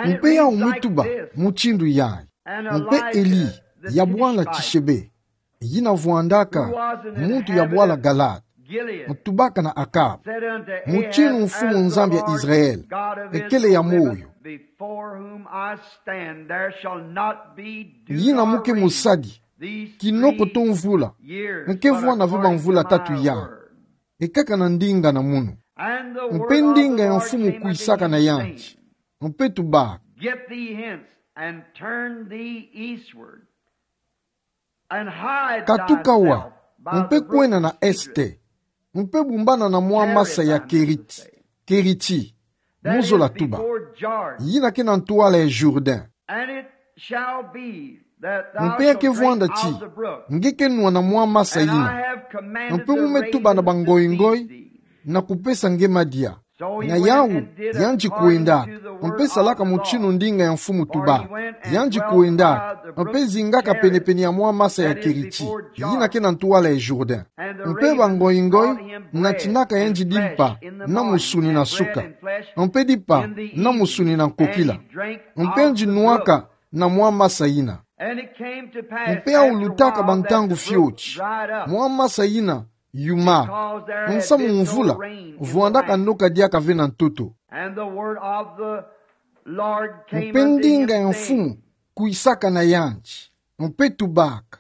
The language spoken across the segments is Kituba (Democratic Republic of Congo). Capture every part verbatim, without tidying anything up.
Mpe yawu mutuba mutindu yayi. Mpe Eli, ya bwala Tishebe, yina vwandaka muntu ya bwala Galaad, mutubaka na Akab: Mutinu Mfumu Nzambi ya Israel, ekele ya moyo, yina muke musadi, kinoko to mvula, nke vwanda ve bamvula tatu ya, ekaka na ndinga na munu. Mpe ndinga ya mfumu kwisaka na yandi, mpe tubaka: Get thee hence, and turn thee eastward, and hide thyself by the brook Kituka awa, mpe kwenda na este, mpe bumbana na mwa masa ya Keriti, Keriti, mu zola tuba, yina ke na ntwala ya Jourdain. And it shall be that thou Mpe ya ke vwanda ti, nge ke nwa na mwa masa yina, mpe mu me tuba na bangoingoi, na kupesa nge madia. Na yawu, yandi kwendaka, mpe salaka mutinu ndinga ya mfumu tubaka. Yandi kwendaka, mpe zingaka penepene ya mwa masa ya Keriti, yina ke na ntwala ya Jourdain. Mpe bangoingoi natinaka yandi dimpa na musuni na suka, mpe dimpa na musuni na nkokila, mpe yandi nwaka na mwa masa yina. Mpe yawu lutaka bantangu fioti, mwa masa yina yuma, nsamu mvula vwandaka noka diaka ve na ntoto. Mpe ndinga ya mfumu kwisaka na yandi, mpe tubaka: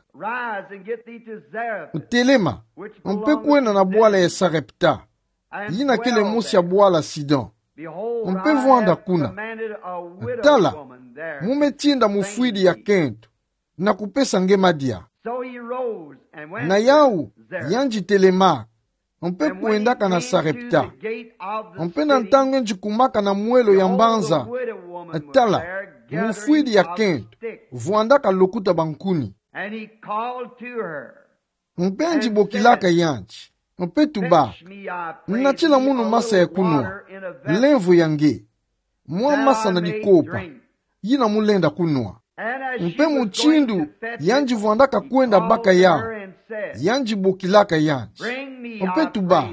Telema, mpe kwenda na bwala ya Sarepta, yina kele mosi ya bwala Sidon, mpe vwanda kuna. Tala, mu me tinda mufwidi ya kento, na kupesa nge madia. Na yawu, yandi telemaka, mpe kwendaka na Sarepta. Mpe na ntangu yandi kumaka na mwelo ya mbanza, tala, mufwidi ya kento vwandaka lokuta bankuni. Mpe yandi bokilaka yandi, mpe tubaka: Natila munu masa ya kunwa, lemvo ya nge, mwa masa na dikopa, yina mu lenda kunwa. Mpe mutindu yandi vwandaka kwenda baka yawu, yandi bokilaka yandi, mpe tubaka: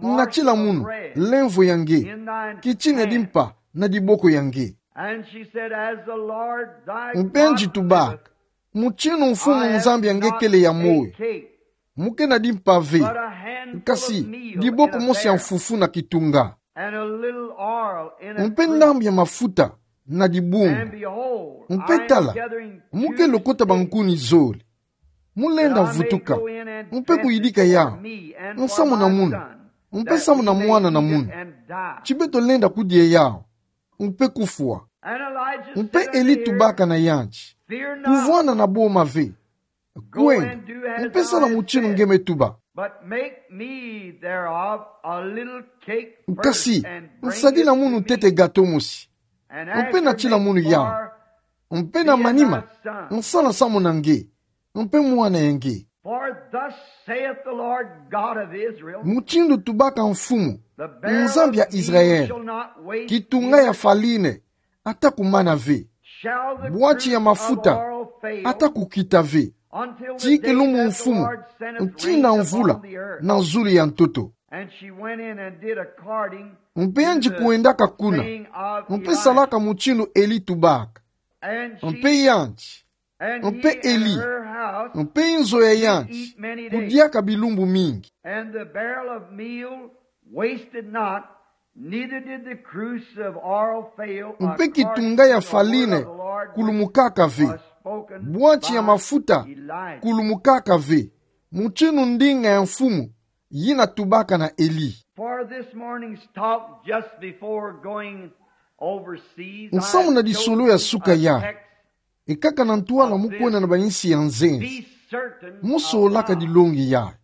Natila munu, lemvo ya nge, kitina ya dimpa na diboko ya nge. Mpe yandi tubaka: Mutinu Mfumu Nzambi ya nge kele ya moyo, mu ke na dimpa ve, nkasi diboko mosi ya mfufu na kitunga, mpe ndambu ya mafuta na dibungu. Mpe tala, mu ke lokota bankuni zole, mu lenda vutuka, mpe kuyidika yawu, nsamu na munu, mpe nsamu na mwana na munu, ti beto lenda kudia yawu, mpe kufwa. Mpe Eli tubaka na yandi: Kuvwanda na boma ve, kwenda, mpe sala mutinu nge me tuba. Nkasi nsadila munu ntete gato mosi, mpe natila munu yawu, mpe na manima nsala nsamu na nge, mpe mwana ya nge. Mutindu tubaka Mfumu, Nzambi ya Israel: Kitunga ya farine ata kumana ve, bwati ya mafuta ata kukita ve, ti kilumbu Mfumu ntina mvula na zulu ya ntoto. Mpe yandi kwendaka kuna, mpe salaka mutindu Eli tubaka. Mpe yandi, mpe Eli, mpe inzo ya yandi kudiaka bilumbu mingi. Mpe kitunga ya farine kulumukaka ve, bwati ya mafuta kulumukaka ve, mutindu ndinga ya Mfumu yina tubaka na Eli. Nsamu na disolo ya suka yayi, ekaka na ntwala mu kwenda na bayinsi ya nzenze, mu solaka dilongi yayi.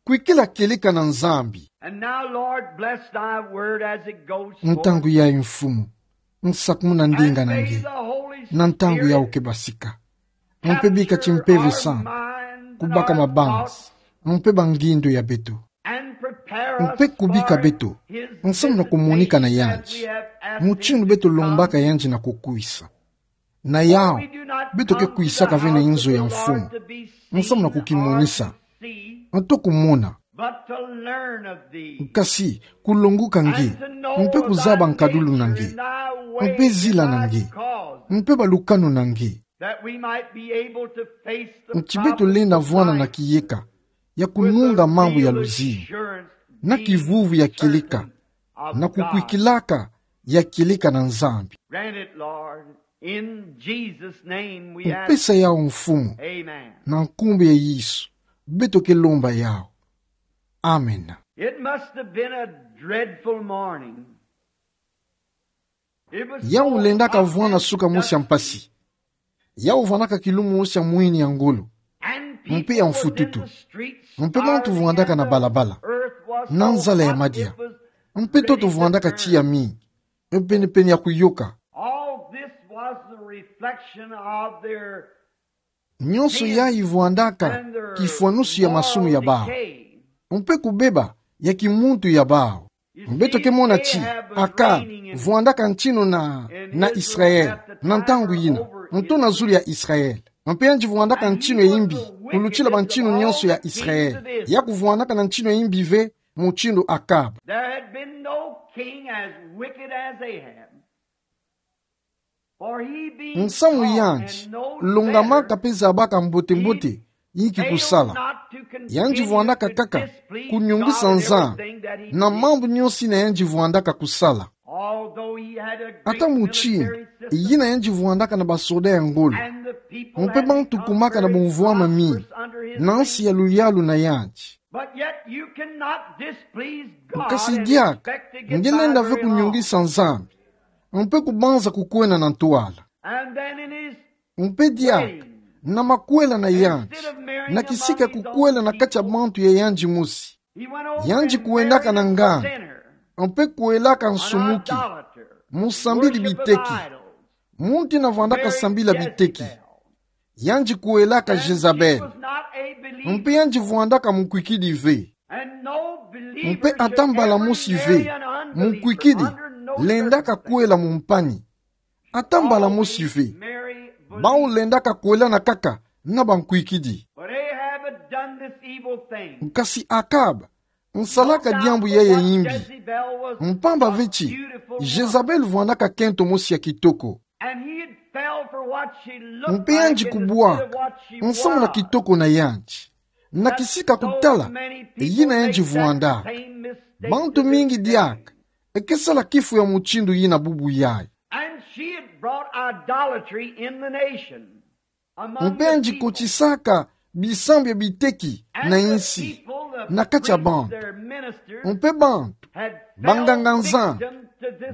Kwikila kieleka na Nzambi. Ntangu yayi Mfumu, nsakumuna ndinga na nge na ntangu yawu ke basika. Mpe bika ti Mpeve Santu kubaka mabanza mpe bangindo ya beto, mpe kubika beto nsamu na kumonika na yandi mutindu beto lombaka yandi na kukwisa. Na yawu, beto ke kwisaka ve na inzo ya Mfumu nsamu na kukimonisa, nto kumona, nkasi kulongoka nge, mpe kuzaba nkadulu na nge. mpe zila na nge, mpe balukanu na nge. That we might be able to face the Nti beto lenda vwanda na kiyeka ya kununga mambu ya luzingu, na kivuvu ya kieleka, na kukwikilaka ya kieleka na Nzambi. Grant it, Lord. In Jesus' name we ask. Mpesa yawu, Mfumu. Amen. Na nkumbu ya Yesu beto ke lomba yawu. Amen. It must have been a dreadful morning. It was Yawu so lendaka vwanda suka mosi ya mpasi. Yawu vwandaka kilumu mosi ya mwini ya ngolo, mpe ya mfututu. Mpe bantu vwandaka na balabala. Na nzala ya madia. Mpe ntoto vwandaka tiya mingi. Mpe pene-pene ya kuyoka. All this was the reflection of their Nyonso yayi vwandaka kifwanusu ya masumu ya bawu, mpe kubeba ya kimuntu ya bawu. Beto ke mona ti Akab vwandaka ntinu na, na Israel, na ntangu yina, ntuna zulu ya Israel. Mpe yandi vwandaka ntinu ya imbi kulutila bantinu nyonso ya Israel. Yaku vwandaka na ntinu ya imbi ve, mutindu Akab. There had been no king as wicked as Ahab. Nsamu yandi, longamaka mpe zabaka mbote-mbote yinki kusala. Yandi vwandaka kaka kunyungisa Nzambi na mambu nyonso yina yandi vwandaka kusala. Ata mutindu yina yandi vwandaka na basoda ya ngolo, mpe bantu kumaka na bumvwama mingi na nsi ya luyalu na yandi. But yet you cannot displease God. Kasi diaka, nge lenda ve kunyungisa Nzambi, mpe kubanza kukwena na ntwala. And then in his Mpe diaka, na makwela na yandi, na kisika kukwela na kati ya bantu ya yandi mosi, yandi kwendaka na nganda, mpe kwelaka nsumuki, musambidi biteki, muntu yina vwandaka sambila biteki. Yandi kwelaka Jezabel. Mpe yandi vwandaka mukwikidi ve. Mpe ata mbala mosi ve mukwikidi lendaka kwela mumpani. Ata mbala mosi ve. Bawu lendaka kwelana kaka na bankwikidi. Kasi Akab nsalaka diambu yayi ya imbi. Mpamba ve ti Jezabel vwandaka kento mosi ya kitoko. Mpe yandi kubwaka nsamu na kitoko na yandi, na kisika kutala yina yandi vwanda. Bantu mingi diaka ke sala kifu ya mutindu yina bubu yayi. Mpe yandi kotisaka bisambu ya biteki na insi, na kati ya bantu. Mpe bantu, banganga-Nzambi,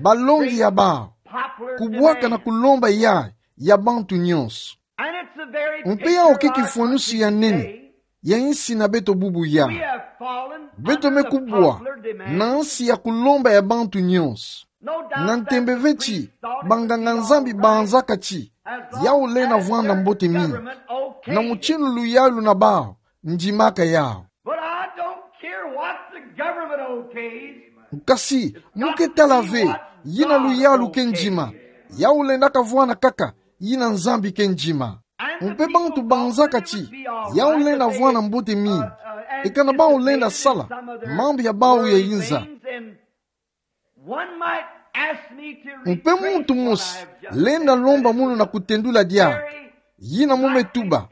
balongi ya bawu, kubwaka na kulomba yayi ya bantu nyonso. Mpe yawu ke kifwanusi ya nene ya insi na beto bubu yayi. Beto me kubwa na nsi ya kulomba ya bantu nyonso. Na ntembe ve ti banganga-Nzambi banzaka ti yawu lenda vwanda mbote mingi. Na mutindu luyalu na bawu ndimaka yawu. But I don't care what the government okays. Kasi mu ke tala ve yina luyalu ke ndima. Yawu lendaka vwanda kaka yina Nzambi ke ndima. Mpe bantu banzaka ti yawu lenda vwanda mbote mingi. Ekana bawu lenda sala mambu ya bawu ya inza. Mpe muntu mosi lenda lomba munu na kutendula diaka yina mu me tuba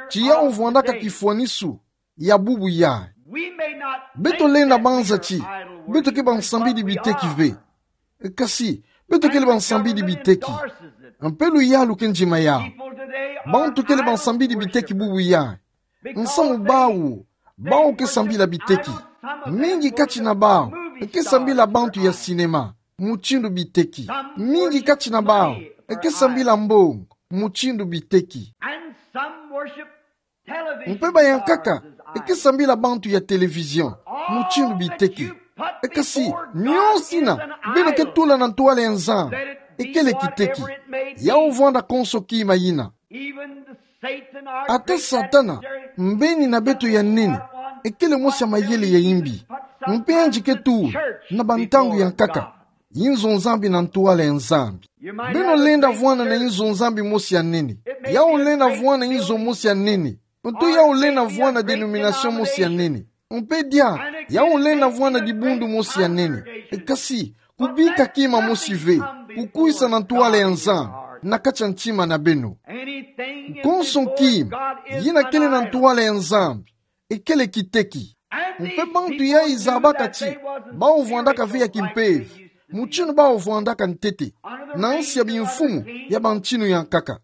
ti yawu vwandaka kifwanisu ya bubu yayi. Beto lenda banza ti beto ke bansambidi biteki ve. Kasi beto kele bansambidi biteki. Mpe luyalu ke ndima yawu. Bantu kele bansambidi biteki bubu yayi. Nsamu bawu, bawu ke sambila biteki. Mingi kati na bawu ke sambila bantu ya sinema, mutindu biteki. Mingi kati na bawu ke sambila mbongo, mutindu biteki. Mpe bayankaka ke sambila bantu ya télévision, mutindu biteki. Kasi nyonso yina beno ke tula na ntwala ya Nzambi kele kiteki. Yawu vwanda konso kima yina. Ata Satana, mbeni na beto ya nene, kele mosi ya mayele ya imbi. Mpe yandi ke tula na bantangu ya nkaka inzo Nzambi na ntwala ya Nzambi. Beno lenda vwanda na inzo Nzambi mosi ya nene. Yawu lenda vwanda inzo mosi ya nene. Nto yawu lenda vwanda dénomination mosi ya nene. Mpe diaka, yawu lenda vwanda dibundu mosi ya nene. Kasi kubika kima mosi ve. ku kwisa na ntwala ya Nzambi na kati ya ntima na beno. Konso kima yina kele na ntwala ya Nzambi, ekele kiteki. Mpe bantu ya izabaka ti bau vwandaka ve ya kimpeve, mutinu bau vwandaka ntete, na nsi ya bimfumu ya bantinu ya nkaka.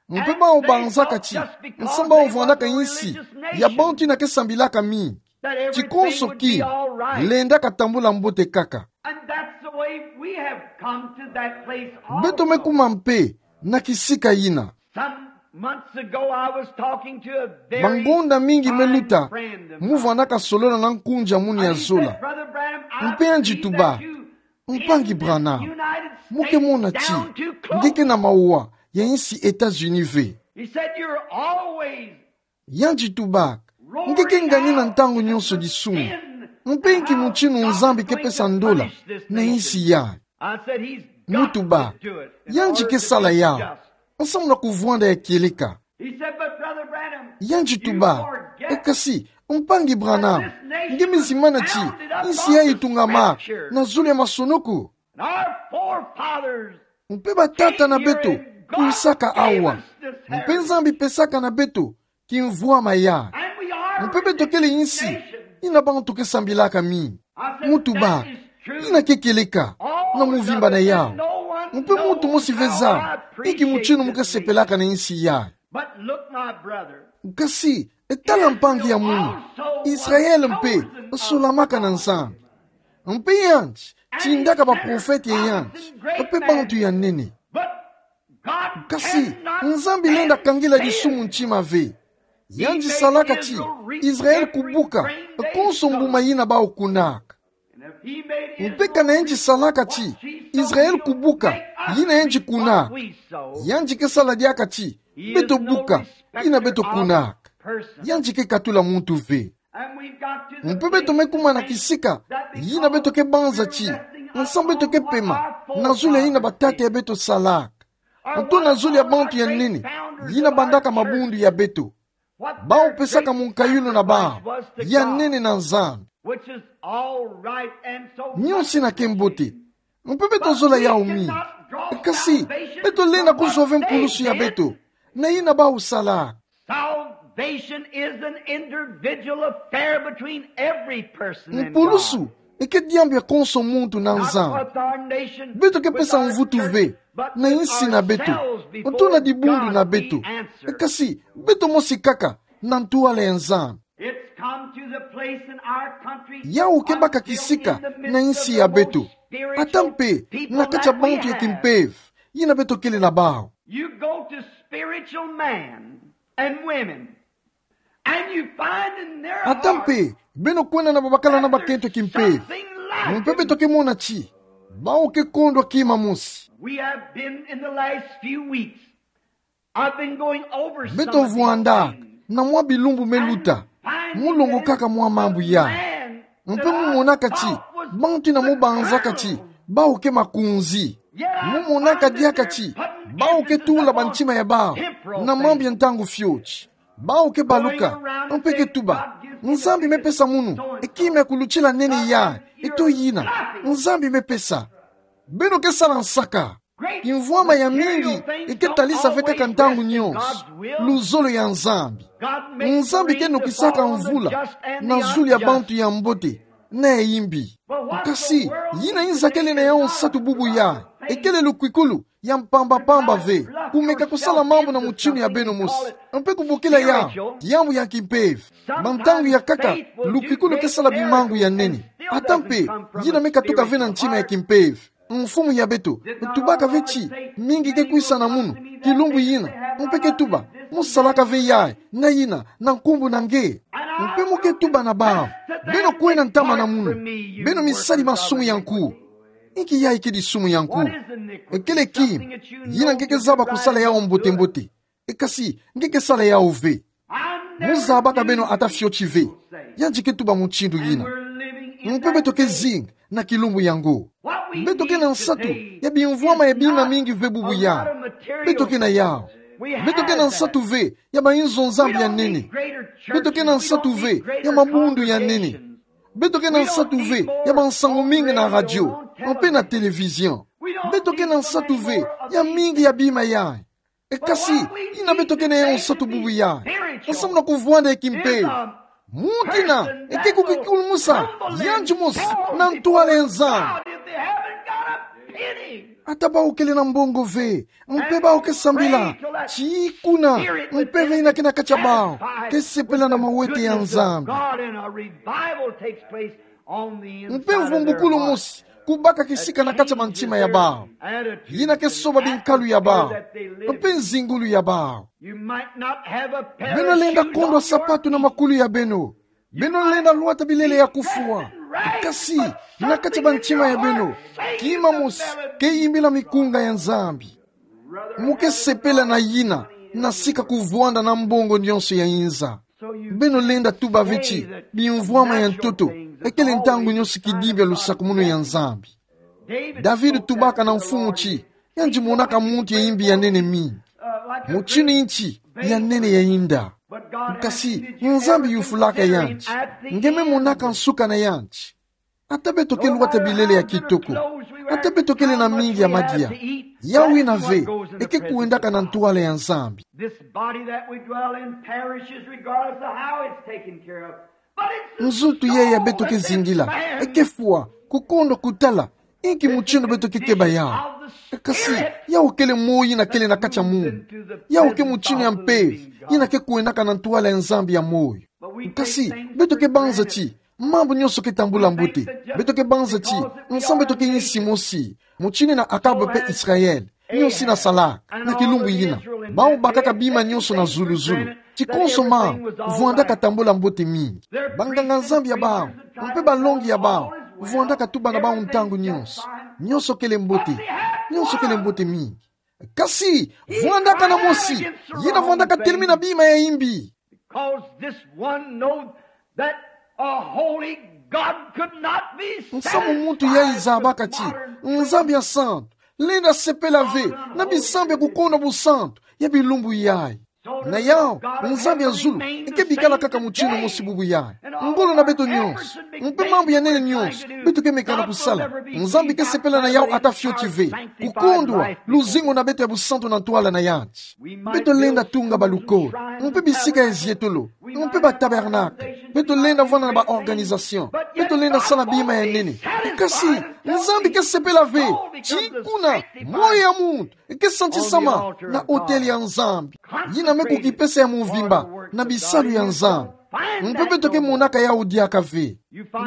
Mpe bau banzaka ti nsa bau vwandaka nsi ya bantu yina ke sambilaka mingi, ti konso kima lenda katambula mbote kaka. And that's the way we have come to that place also. Beto me kuma mpe na kisika yina. Some months ago, I was talking to a very bangonda mingi me luta, fine friend of mine. Mu vwandaka solola na nkunzi ya munu ya zola. And he said, "Brother Branham, I believe that you in this United States down to Coke." Mpe yandi tuba, Mpangi Branham, mu ke mona ti nge ke na mawa ya nsi États-Unis ve. He said, "You're always Yandi tubaka, nge ke ngani na ntangu nyonso disumu. Mpe nki mutinu Nzambi ke pesa ndola na nsi yayi? Mu tubaka, yandi ke sala yawu. Nsamu na kuvwanda ya kieleka. Yandi tubaka, e kasi, Mpangi Branham, nge me zimana ti nsi yayi itungamaka na zulu ya masonoko. Mpe batata na beto kwisaka awa. Mpe Nzambi pesaka na beto kimvwama yayi. Mpe beto kele nsi yina bantu ke sambilaka mingi. Mu tubaka, yina ke kieleka na muvimba na yawu. Mpe muntu mosi ve zaba inki mutinu mu ke sepelaka na nsi yayi. But look, my brother. Kasi, e tala mpangi ya munu, Israel mpe solamaka na Nzambi. Mpe yandi tindaka baprofete ya yandi mpe bantu ya nene. But God cannot Kasi, Nzambi lenda kangela disumu ntima ve. Yandi salaka ti Israel kubuka konso mbuma yina bau kunaka. Mpe kana yandi salaka ti Israel kubuka yina yandi kunaka, yandi ke sala diaka ti beto buka yina beto kunaka. Yandi ke katula muntu ve. Mpe beto me kuma na kisika yina beto ke banza ti nsamu beto ke pema na zulu ya yina batata ya beto salaka, nto na zulu ya bantu ya nene yina bandaka mabundu ya beto. Bau pesaka munkayulu na bau ya nene na Nzambi. Which is all right and so much. Nyonso yina ke mbote. Mpe beto zola yawu mingi. Kasi, beto lenda kuzwa ve mpulusu ya beto na yina bau salaka. Salvation is an individual affair between every person and God. Mpulusu eke diambu ya konso muntu na Nzambi. Beto ke pesa mvutu ve na nsi na beto, nto na dibundu na beto. E kasi, beto mosi kaka na ntwala ya Nzambi. Yawu ke baka kisika na nsi ya beto, ata mpe na kati ya bantu ya kimpeve yina beto kele na bawu. You go to spiritual man and women, and you find in their heart. Ata mpe beno kwenda na babakala na bakento ya kimpeve, mpe beto ke mona ti bawu ke kondwa kima mosi. We have been in the last few weeks, I've been going over some of these things. Beto vwandaka na mwa bilumbu me luta, mu longokaka mwa mambu yayi. Mpe mu monaka ti bantu yina mu banzaka ti bawu ke makunzi. Mu monaka diaka ti bawu ke tula bantima ya bawu na mambu ya ntangu fioti. Bawu ke baluka, mpe ke tuba, Nzambi me pesa munu ekima ya kulutila nene yayi, eto yina Nzambi me pesa. Beno ke sala nsaka. Kimvwama ya mingi eke talisa ve kaka ntangu nyonso luzolo ya Nzambi. Nzambi ke nokisaka mvula na zulu ya bantu ya mbote na ya imbi. Kasi, yina nza kele na yawu nsatu bubu yayi, ekele lukwikulu ya mpamba-pamba ve, kumeka kusala mambu na mutinu ya beno mosi, mpe kubokila yawu diambu ya kimpeve. Bantangu ya nkaka, lukwikulu ke sala bimangu ya nene. Ata mpe, yina me katuka ve na ntima ya kimpeve. Mfumu ya beto, tubaka ve ti, mingi ke kwisa na munu kilumbu yina, mpe ke tuba, mu salaka ve yayi na yina na nkumbu na nge. Mpe mu ke tuba na bawu, beno kwenda ntama na munu, beno misadi masumu ya nkuwu. Inki yayi ke disumu ya nkuwu? Ekele kima yina nge ke zaba kusala yawu mbote-mbote, e kasi nge ke sala yawu ve. Mu zabaka beno ata fioti ve. Yandi ke tuba mutindu yina. Mpe beto ke zinga na kilumbu yango. Beto ke na nsatu ya bimvwama ya bima mingi ve bubu yayi. Beto ke na yawu. Beto ke na nsatu ve ya bayinzo-Nzambi ya nene. Beto ke na nsatu ve ya mabundu ya nene. Beto ke na nsatu ve ya bansangu mingi na radio mpe na télévision. Beto ke na nsatu ve ya mingi ya bima yayi. E kasi, ina beto ke na yo nsatu bubu yayi, nsamu na kuvwanda ya kimpeve, muntu ina eke kukikulumusa yandi mosi na ntwala ya Nzambi. Ata bau kele na mbongo ve, mpe bau ke sambila, tii kuna, mpeve ina ke na kati ya bau ke sepela na mawete ya Nzambi. Mpe mvumbukulu mosi kubaka kisika na kati ya mantima ya bau, ina ke soba binkalu ya bau, mpe nzingulu ya bau. Beno lenda kondwa sapatu na makulu ya beno. Beno lenda lwata bilele ya kufwa. Kasi, na kati ya bantima ya beno, kima mosi ke yimbila mikunga ya Nzambi. Mu ke sepela na ina, na sika kuvwanda na mbongo nyonso ya inza. Beno lenda tuba ve ti bimvwama ya ntoto ekele ntangu nyonso kidibi ya lusakumunu ya Nzambi. David tubaka na Mfumu ti, yandi monaka muntu ya imbi ya nene mingi, mutindu nti ya nene ya inda. Kasi Nzambi yufulaka yandi. Nge me monaka nsuka na yandi. Ata beto ke lwata bilele ya kitoko, ata beto kele na mingi ya madia, yawu ina ve eke kwendaka na ntwala ya Nzambi. This body that we dwell in perishes regardless of how it's taken care of. But it's the Nzoto yayi ya beto ke zingila eke fwa, kukondwa kutala inki mutindu beto ke keba yawu. Kasi yawu kele moyo ina kele na kati ya munu. Yawu ke mutindu ya mpeve ina ke kwendaka na ntwala ya Nzambi ya moyo. Kasi beto ke banza ti mambu nyonso ke tambula mbote. Beto ke banza ti nsamu beto ke insi mosi, mutindu ina Akab mpe Israel nyonso ina salaka. Na kilumbu ina, bau bakaka bima nyonso na zulu-zulu. Ti konso mambu vwandaka tambula mbote mingi. Banganga-Nzambi ya bau mpe balongi ya bau vwandaka tuba na bau ntangu nyonso, nyonso kele mbote, nyonso kele mbote mingi. Kasi vwandaka na mosi ina vwandaka telemina bima ya imbi. Because this one knows that a holy God could not be satisfied with modern things. Nsamu muntu yayi zabaka ti Nzambi ya santu lenda sepela ve na bisambu ya kukondwa busantu ya bilumbu yayi. Na yawu, Nzambi ya zulu eke bikala kaka mutindu mosi bubu yayi. Ngolo na beto nyonso, mpe mambu ya nene nyonso beto ke meka na kusala, Nzambi ke sepela na yawu ata fioti ve. Kukondwa luzingu na beto ya busantu na ntwala na yandi. Beto lenda tunga balukolo, mpe bisika ya zietolo, mpe batabernakle. Beto lenda vwanda na baorganisation. Beto lenda sala bima ya nene. Kasi Nzambi ke sepela ve, ti kuna moyo ya muntu ke santisama na otele ya Nzambi, ina me kukipesa ya mvimba na bisalu ya Nzambi. Mpe beto ke monaka yawu diaka ve.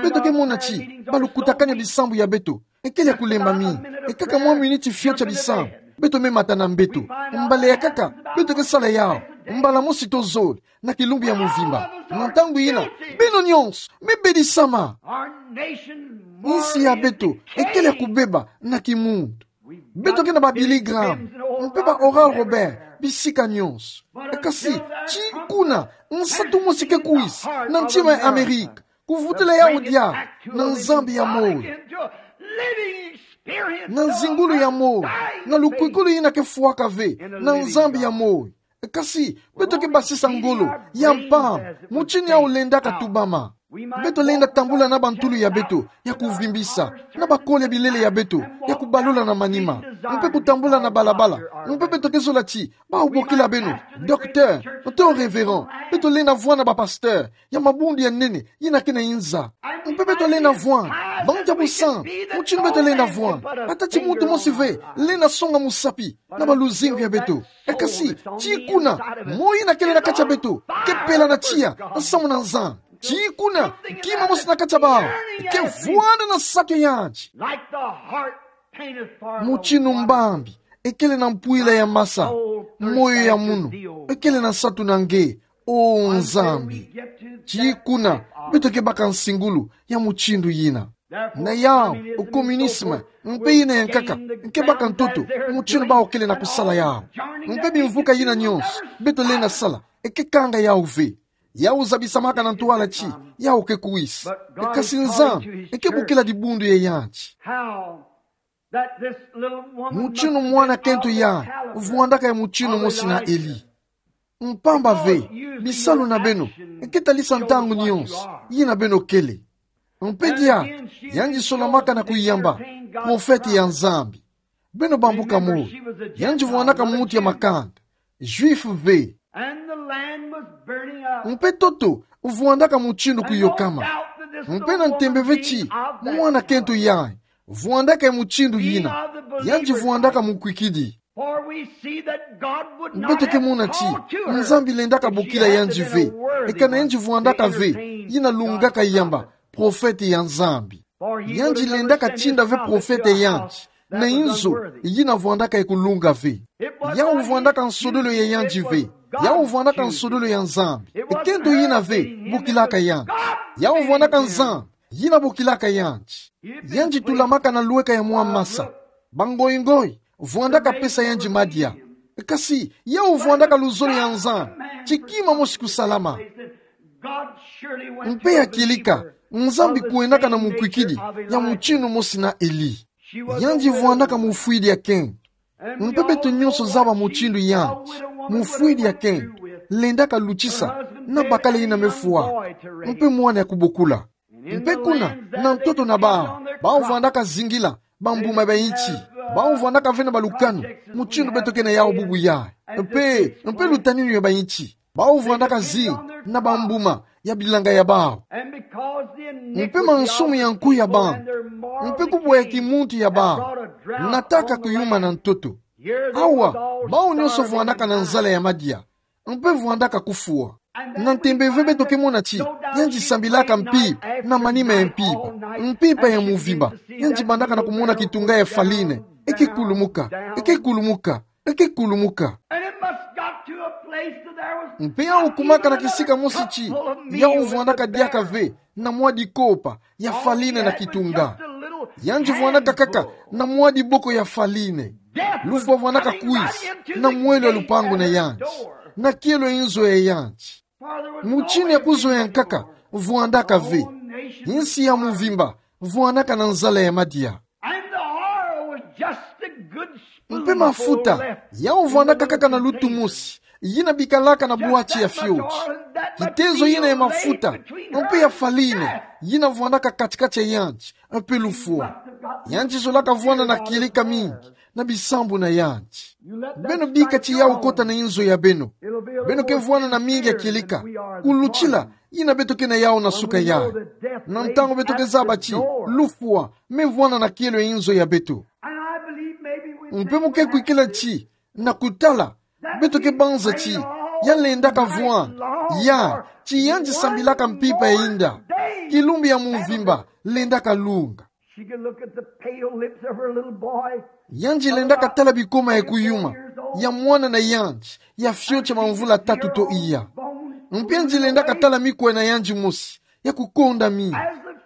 Beto ke mona ti balukutakanu ya bisambu ya beto ekele ya kulemba mingi. E kaka mwa miniti fioti ya bisambu, beto me mata na mbeto. Mbala ya kaka beto ke sala yawu mbala mosi to zole na kilumbu ya mvimba. Na ntangu ina, beno nyonso me bedisama. Insi ya beto ekele ya kubeba na kimuntu. Beto ke na ba Billy Graham mpe ba Oral Roberts bisika nyonso. Kasi ti kuna, nsatu mosi ke kwisa na ntima ya Amerika, kuvutula yawu diaka na Nzambi ya moyo, na nzingulu ya moyo, na lukwikulu ina ke fwaka ve, na Nzambi ya moyo. Kasi beto ke basisa ngolo ya mpamba, mutindu yawu lendaka tubama. Beto lenda tambula na bantulu ya beto ya kuvimbisa, na bakole ya bilele ya beto ya kubalula na manima, mpe kutambula na balabala. Mpe beto ke zola ti bau bokila beno docteur to révérend. Beto lenda vwanda ba pasteur ya mabundu ya nene ina ke na inza. Mpe beto lenda vwanda bantu ya busantu, mutindu beto lenda vwanda. Ata ti muntu mosi ve lenda songa musapi na baluzingu ya beto. E kasi ti kuna, moyo ina kele na kati ya beto ke pela na tiya nsamu na Nzambi. Ti kuna, kima mosi na kati ya bau ke vwanda na nsatu ya yandi. Mutindu mbambi ekele na mpwila ya masa, moyo ya munu ekele na nsatu na nge, o Nzambi. Ti kuna beto ke baka nsingulu ya mutindu ina. Na yawu, o communisme mpe ina ya nkaka ke baka ntoto mutindu bau kele na kusala yawu. Mpe bimvuka ina nyonso beto lenda sala, e ke kanga yawu ve. Yawu zabisamaka na ntwala ti yawu ke kwisa. E kasi Nzambi e ke bokila dibundu ya yandi. Mutindu mwana kento yayi vwandaka ya mutindu mosi na Eli. Mpamba ve, bisalu na beno e ke talisa ntangu nyonso ina beno kele. Mpe diaka, yandi solamaka na kuyamba profete ya Nzambi. Beno bambuka mo, yandi vwandaka muntu ya makanda, Juif ve. Mpe toto, vwandaka mutindu kuyokama. Mpe na ntembe ve ti mwana kento yayi vwandaka ya mutindu yina, yandi vwandaka mukwikidi. Beto ke mona ti Nzambi lendaka bokila yandi ve, e kana yandi vwandaka ve yina lungaka yamba profete ya Nzambi. Yandi lendaka tinda ve profete ya yandi na inzo yina vwandaka ya kulunga ve. Yawu vwandaka nsodolo ya yandi ve. Yawu vwandaka nsodolo ya Nzambi. E kento yina ve bokilaka yandi. Yawu vwandaka Nzambi yina bokilaka yandi. Yandi tulamaka na lweka ya mwa masa. Bangoingoi vwandaka pesa yandi madia. Kasi yawu vwandaka luzolo ya Nzambi ti kima mosi kusalama. Mpe ya kieleka, Nzambi kwendaka na mukwikidi ya mutindu mosi na Eli. Yandi vwandaka mufwidi ya kento. Mpe beto nyonso zaba mutindu yandi, mufwidi ya kento lendaka lutisa na bakala yina me fwa, mpe mwana ya kubokula. Mpe kuna, na ntoto na bawu, bawu vwandaka zingila bambuma ya bainti. Bawu vwandaka ve na balukanu, mutindu beto ke na yawu bubu yayi. Mpe, mpe lutaninu ya bainti. Bawu vwandaka zinga na bambuma ya bilanga ya bawu. Mpe mansumu ya nkuyu ya bawu, mpe kubwa ya kimuntu ya bawu, nataka kuyuma na ntoto. Awa, bawu nyonso vwandaka na nzala ya madia, mpe vwandaka kufwa. Na ntembe ve beto ke mona ti yandi sambilaka mpimpa na manima ya mpimpa, mpimpa ya muvimba. Yandi bandaka na kumona kitunga ya farine e ke kulumuka, e ke kulumuka, e ke kulumuka. Mpe yawu kumaka na kisika mosi ti yawu vwandaka diaka ve na mwa dikopa ya farine na kitunga. Yandi vwandaka kaka na mwa diboko ya farine. Lufwa vwandaka kwisa na mwelo ya lupangu na yandi, na kielo ya inzo ya yandi. Mutindu ya kuzoea nkaka vwandaka ve. Insi ya muvimba vwandaka na nzala ya madia. Mpe mafuta, yawu vwandaka kaka na lutu mosi yina bikalaka na bwati ya fioti. Kitezo yina ya mafuta mpe ya farine yina vwandaka kati-kati ya yandi mpe lufwa. Yandi zolaka vwanda na kieleka mingi na bisambu na yandi. Beno bika ti yawu kota na inzo ya beno. Beno ke vwanda na mingi ya kieleka kulutila yina beto ke na yawu na suka yayi. Na ntangu beto ke zaba ti lufwa me vwanda na kielo ya inzo ya beto. Mpe mu ke kwikila ti na kutala, beto ke banza ti ya lendaka vwanda, ya ti yandi sambilaka mpimpa ya inda. Kilumbu ya muvimba lendaka lunga. Yandi lendaka tala bikoma ya kuyuma ya mwana na yandi ya fioti ya mamvula tatu to iya. Mpe yandi lendaka tala mikwa na yandi mosi ya kukonda mingi.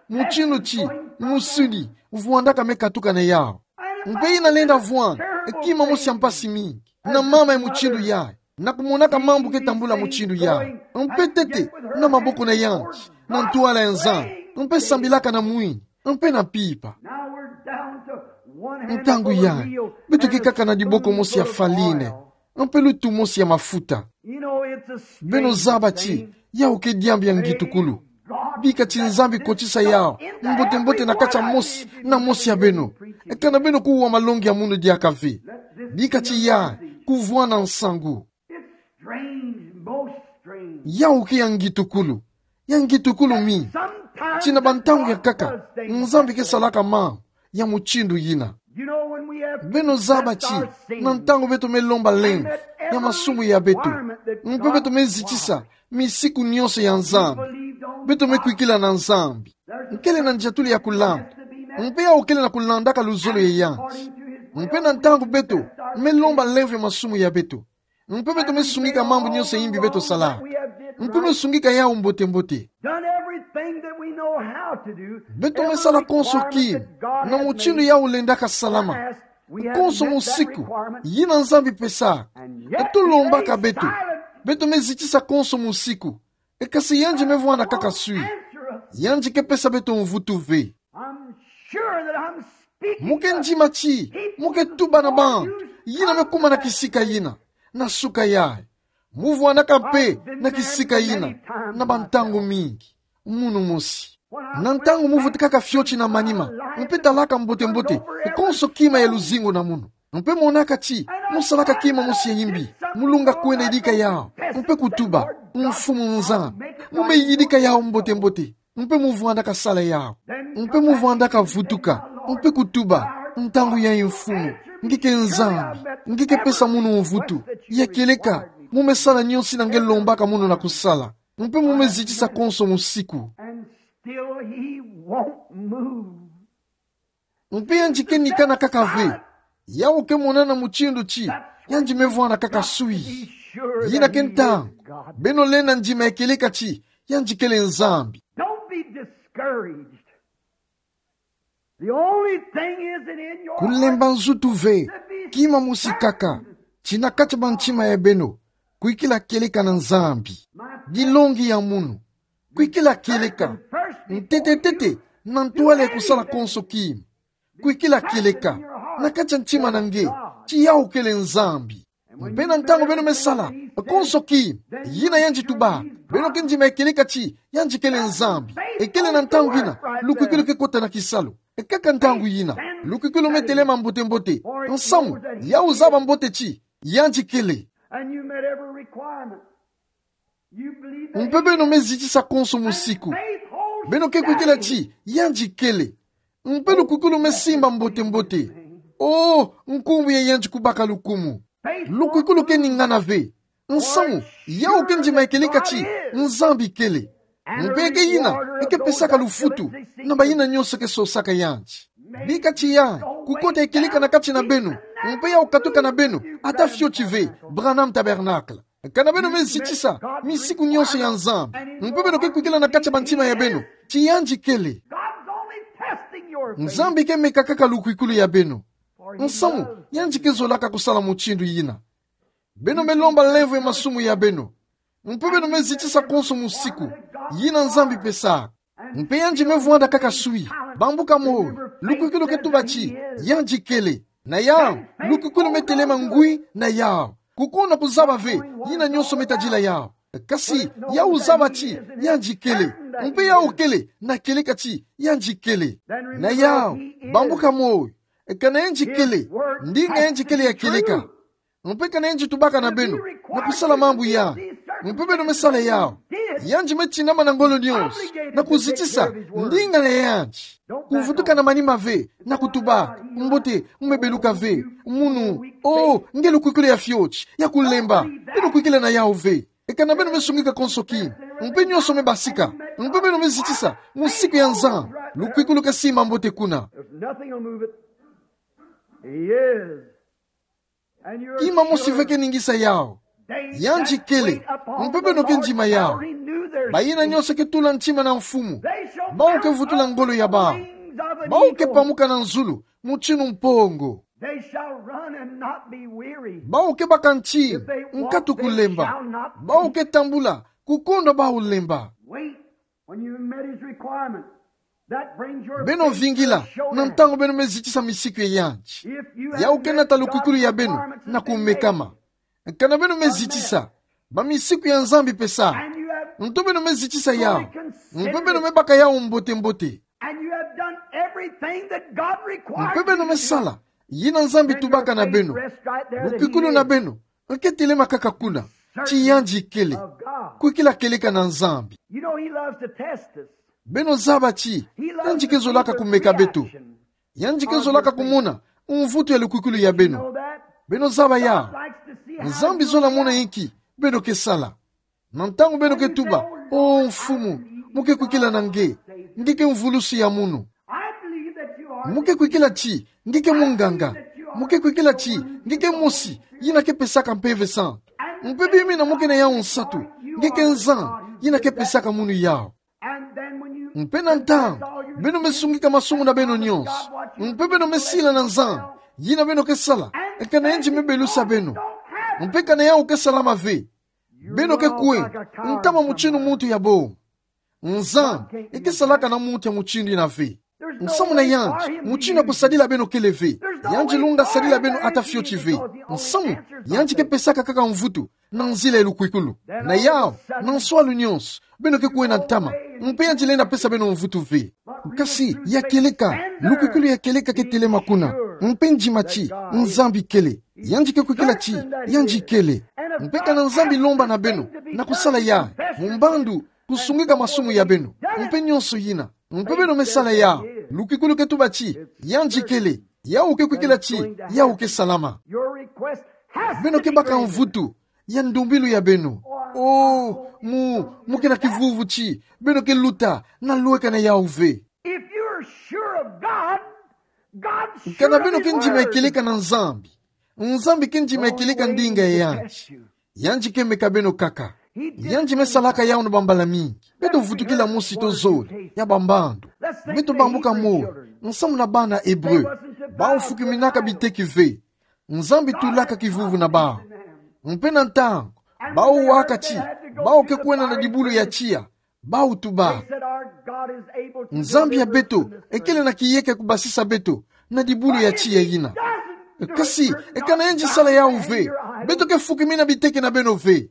Mutindu ti musuni vwandaka me katuka na yawu. Mpe yina lenda vwanda kima mosi ya mpasi mingi na mama ya mutindu yayi, na kumonaka mambu ke tambula mutindu yayi. Mpe ntete na maboko na yandi na ntwala ya Nzambi, mpe sambilaka na mwini mpe na mpimpa. Ntangu yayi beto ke kaka na diboko mosi ya farine mpe lutu mosi ya mafuta. Beno zaba ti yawu ke diambu ya ngitukulu. Bika ti Nzambi kotisa yawu mbote-mbote na kati ya mosi na mosi ya beno. E kana beno kuwa malongi ya munu diaka ve. Bika ti yayi kuvwanda nsangu. Yawu ke ya ngitukulu. Ya ngitukulu mingi ti na bantangu ya nkaka Nzambi ke salaka mambu ya mutindu yina. Beno zaba ti na ntangu beto me lomba lemvo ya masumu ya beto, mpe beto me zitisa misiku nyonso ya Nzambi, beto me kwikila na Nzambi. Nkele na ndiatulu ya kulanda, mpe yawu kele na kulandaka luzolo ya yandi. Mpe na ntangu beto me lomba lemvo ya masumu ya beto, mpe beto me sungika mambu nyonso ya imbi beto salaka, mpe me sungika yawu mbote-mbote. Beto me sala konso kima na mutindu yawu lendaka salama. Konso musiku yina Nzambi pesaka, e tolombaka beto, beto me zitisa konso musiku. E kasi yandi me vwanda kaka swi. Yandi ke pesa beto mvutu ve. Mu ke ndima ti mu ke tuba na bantu yina me kuma na kisika yina, na suka yayi. Mu vwandaka mpe na kisika yina na bantangu mingi. Munu mosi, na ntangu mu vutukaka fioti na manima, mpe talaka mbote-mbote konso kima ya luzingu na munu, Mpe monaka ti, musalaka kima mosi ya imbi, mulunga kwenda yidika yawu, mpe kutuba: Mfumu Nzambi, mu me yidika yawu mbote-mbote, mpe mu vwandaka sala yawu. Mpe mu vwandaka vutuka, mpe kutuba: Ntangu yayi Mfumu, nge ke Nzambi, nge ke pesa munu mvutu. Ya kieleka, mu me sala nionso yina nge lombaka munu na kusala. Mpe mu me zitisa konso musiku. And still he won't move. Mpe yandi ke nikana kaka ve. Yawu ke monana mutindu ti yandi me vwanda kaka swi. Yina ke ntangu beno lenda ndima ya kieleka ti yandi kele Nzambi. Don't be discouraged. The only thing is that in your heart, kulemba nzutu ve. Kima mosi kaka, ti na kati ya bantima ya beno, kwikila kieleka na Nzambi. Dilongi ya munu, kwikila kieleka. Ntete-ntete, na ntwala ya kusala konso kima, kwikila kieleka. Na kati ya ntima na nge, ti yawu kele Nzambi. Mpe na ntangu beno me sala konso kima yina yandi tuba, beno ke ndima ya kieleka ti yandi kele Nzambi. Ekele na ntangu yina lukwikwilu ke kota na kisalu. Kaka ntangu yina lukwikwilu me telema mbote-mbote. Nsamu, yawu zaba mbote ti yandi kele. And you met every requirement. You believe that. Mpe beno me zitisa konso musiku. Beno ke kwikila ti yandi kele. Mpe lukwikwilu me simba mbote-mbote. Oh, nkumbu ya yandi kubaka lukumu. Lukwikwilu ke ningana ve. Nsamu, yawu ke ndima ya kieleka ti Nzambi kele. Mpe ke yina e ke pesaka lufutu na bayina nionso ke sosaka yandi. Bika ti yandi kukota ya kieleka na kati na beno, mpe yawu katuka na beno ata fioti ve, Branham Tabernacle. Kana beno me zitisa misiku nionso ya Nzambi, mpe beno ke kwikila na kati ya bantima ya beno ti yandi kele. God's only testing your faith. Nzambi ke meka kaka lukwikwilu ya beno. Nsamu, yandi ke zolaka kusala mutindu yina. Beno me lomba nlemvo ya masumu ya beno, mpe beno me zitisa konso musiku yina Nzambi pesaka. Mpe yandi me vwanda kaka swi, bambuka moyo. Lukwikwilu ke tuba ti yandi kele. Na yawu, lukwikwilu me telema ngwi na yawu. Kukuna kuzaba ve yina nionso me tadila yawu. Kasi yawu zaba ti yandi kele. Mpe yawu kele na kieleka ti yandi kele. Na yawu, bambuka moyo. Kana yandi kele, ndinga yandi kele ya kieleka. Mpe kana yandi tubaka na beno na kusala mambu yandi, mpe beno me sala yawu, yandi me tinama na ngolo nionso na kuzitisa ndinga ya yandi. Kuvutuka na manima ve na kutuba: Mbote, mu me beluka ve. Munu, oh, nge lukwikwilu ya fioti, ya kulemba. Beno kwikila na yawu ve. Kana beno me sungika konso kima, mpe nionso me basika, mpe beno me zitisa musiku ya Nzambi, lukwikwilu ke simba mbote kuna. There's nothing will move it. He is. Kima mosi ve ke ningisa yawu. Yandi kele, mpe beno ke ndima yawu. Bayina nionso ke tula ntima na Mfumu, bawu ke vutula ngolo ya bawu. Bawu ke pamuka na nzulu mutindu mpongo. They shall run and not be weary. Bawu ke baka ntima, nkatu kulemba. Bawu ke tambula, kukondwa bawu lemba. Wait, when you met his requirement, that brings your faith to assurance. Beno vingila na ntangu beno me zitisa misiku ya yandi. If you have met God's requirement, yawu ke nata lukwikwilu ya beno na kumekama. Kana beno me zitisa bamisiku ya Nzambi pesa, nto beno me zitisa yawu, mpe beno me baka yawu mbote-mbote. And you have done everything that God requires you to do. Mpe beno me sala yina Nzambi tubaka na beno. Lukwikwilu na beno ke telema kaka kuna, ti yandi kele. Kwikila kieleka na Nzambi. You know, he loves to test us. Beno zaba ti yandi ke zolaka kumeka beto. Yandi ke zolaka kumona mvutu ya lukwikwilu ya beno. Beno zaba yawu. Nzambi zola mona inki beno ke sala. Na ntangu beno ke tuba: O Mfumu, mu ke kwikila na nge, nge ke mvulusi ya munu. Mu ke kwikila ti nge ke munganga. Mu ke kwikila ti nge ke mosi yina ke pesaka Mpeve Santu. Mpe bimina mu ke na yawu nsatu, nge ke Nzambi yina ke pesaka munu yawu. Mpe na ntangu beno me sungika masumu na beno nionso, mpe beno me sila na Nzambi yina beno ke sala, kana yandi me belusa beno. Mpe kana yawu ke salama ve, beno ke kwe ntama mutindu muntu ya bonga. Nzambi ke salaka na muntu ya mutindu yina ve. Nsamu na yandi mutindu ya kusadila beno kele ve. Yandi lunga sadila beno ata fioti ve. Nsamu yandi ke pesaka kaka mvutu. na nzila ya lukwikulu. Na yau, na nswalu nyonso, beno ke kwena ntama, mpe yandi lenda pesa beno mvutu ve. Kasi, ya kieleka, lukwikulu ya kieleka ke telema kuna, mpe ndima ti, Nzambi kele. Yandi ke kwikila ti, yandi kele. Mpe kana Nzambi lomba na beno, na kusala yayi, mu mbandu, kusungika masumu ya beno, mpe nyonso yina. Mpe beno me sala yau, lukwikulu ke tuba ti, yandi kele, yau ke kwikila ti, yau ke salama. Beno ke baka mvutu ya ndumbilu ya beno. Oh, mu, mu ke na kivuvu ti, beno ke luta, na lweka na yau ve. If you're sure of God, God surely works. Kana beno ke ndima ya kieleka na Nzambi. Nzambi ke ndima ya kieleka ndinga ya yandi. Yandi ke meka beno kaka. Yandi me salaka yau na bambala mingi. Beto vutukila mosi to zole, ya bambandu. Beto bambuka moyo, nsamu na bana Ebre. Bau fukiminaka biteki ve. Nzambi tulaka kivuvu na bau. Mpe na ntangu, bau waka ti, bau ke kwena na dibulu ya tiya. Bau tuba. Nzambi ya beto, ekele na kiyeka kubasisa beto, na dibulu ya tiya yina. Kasi, e kana yandi sala yau ve, beto ke fukimina biteki na beno ve.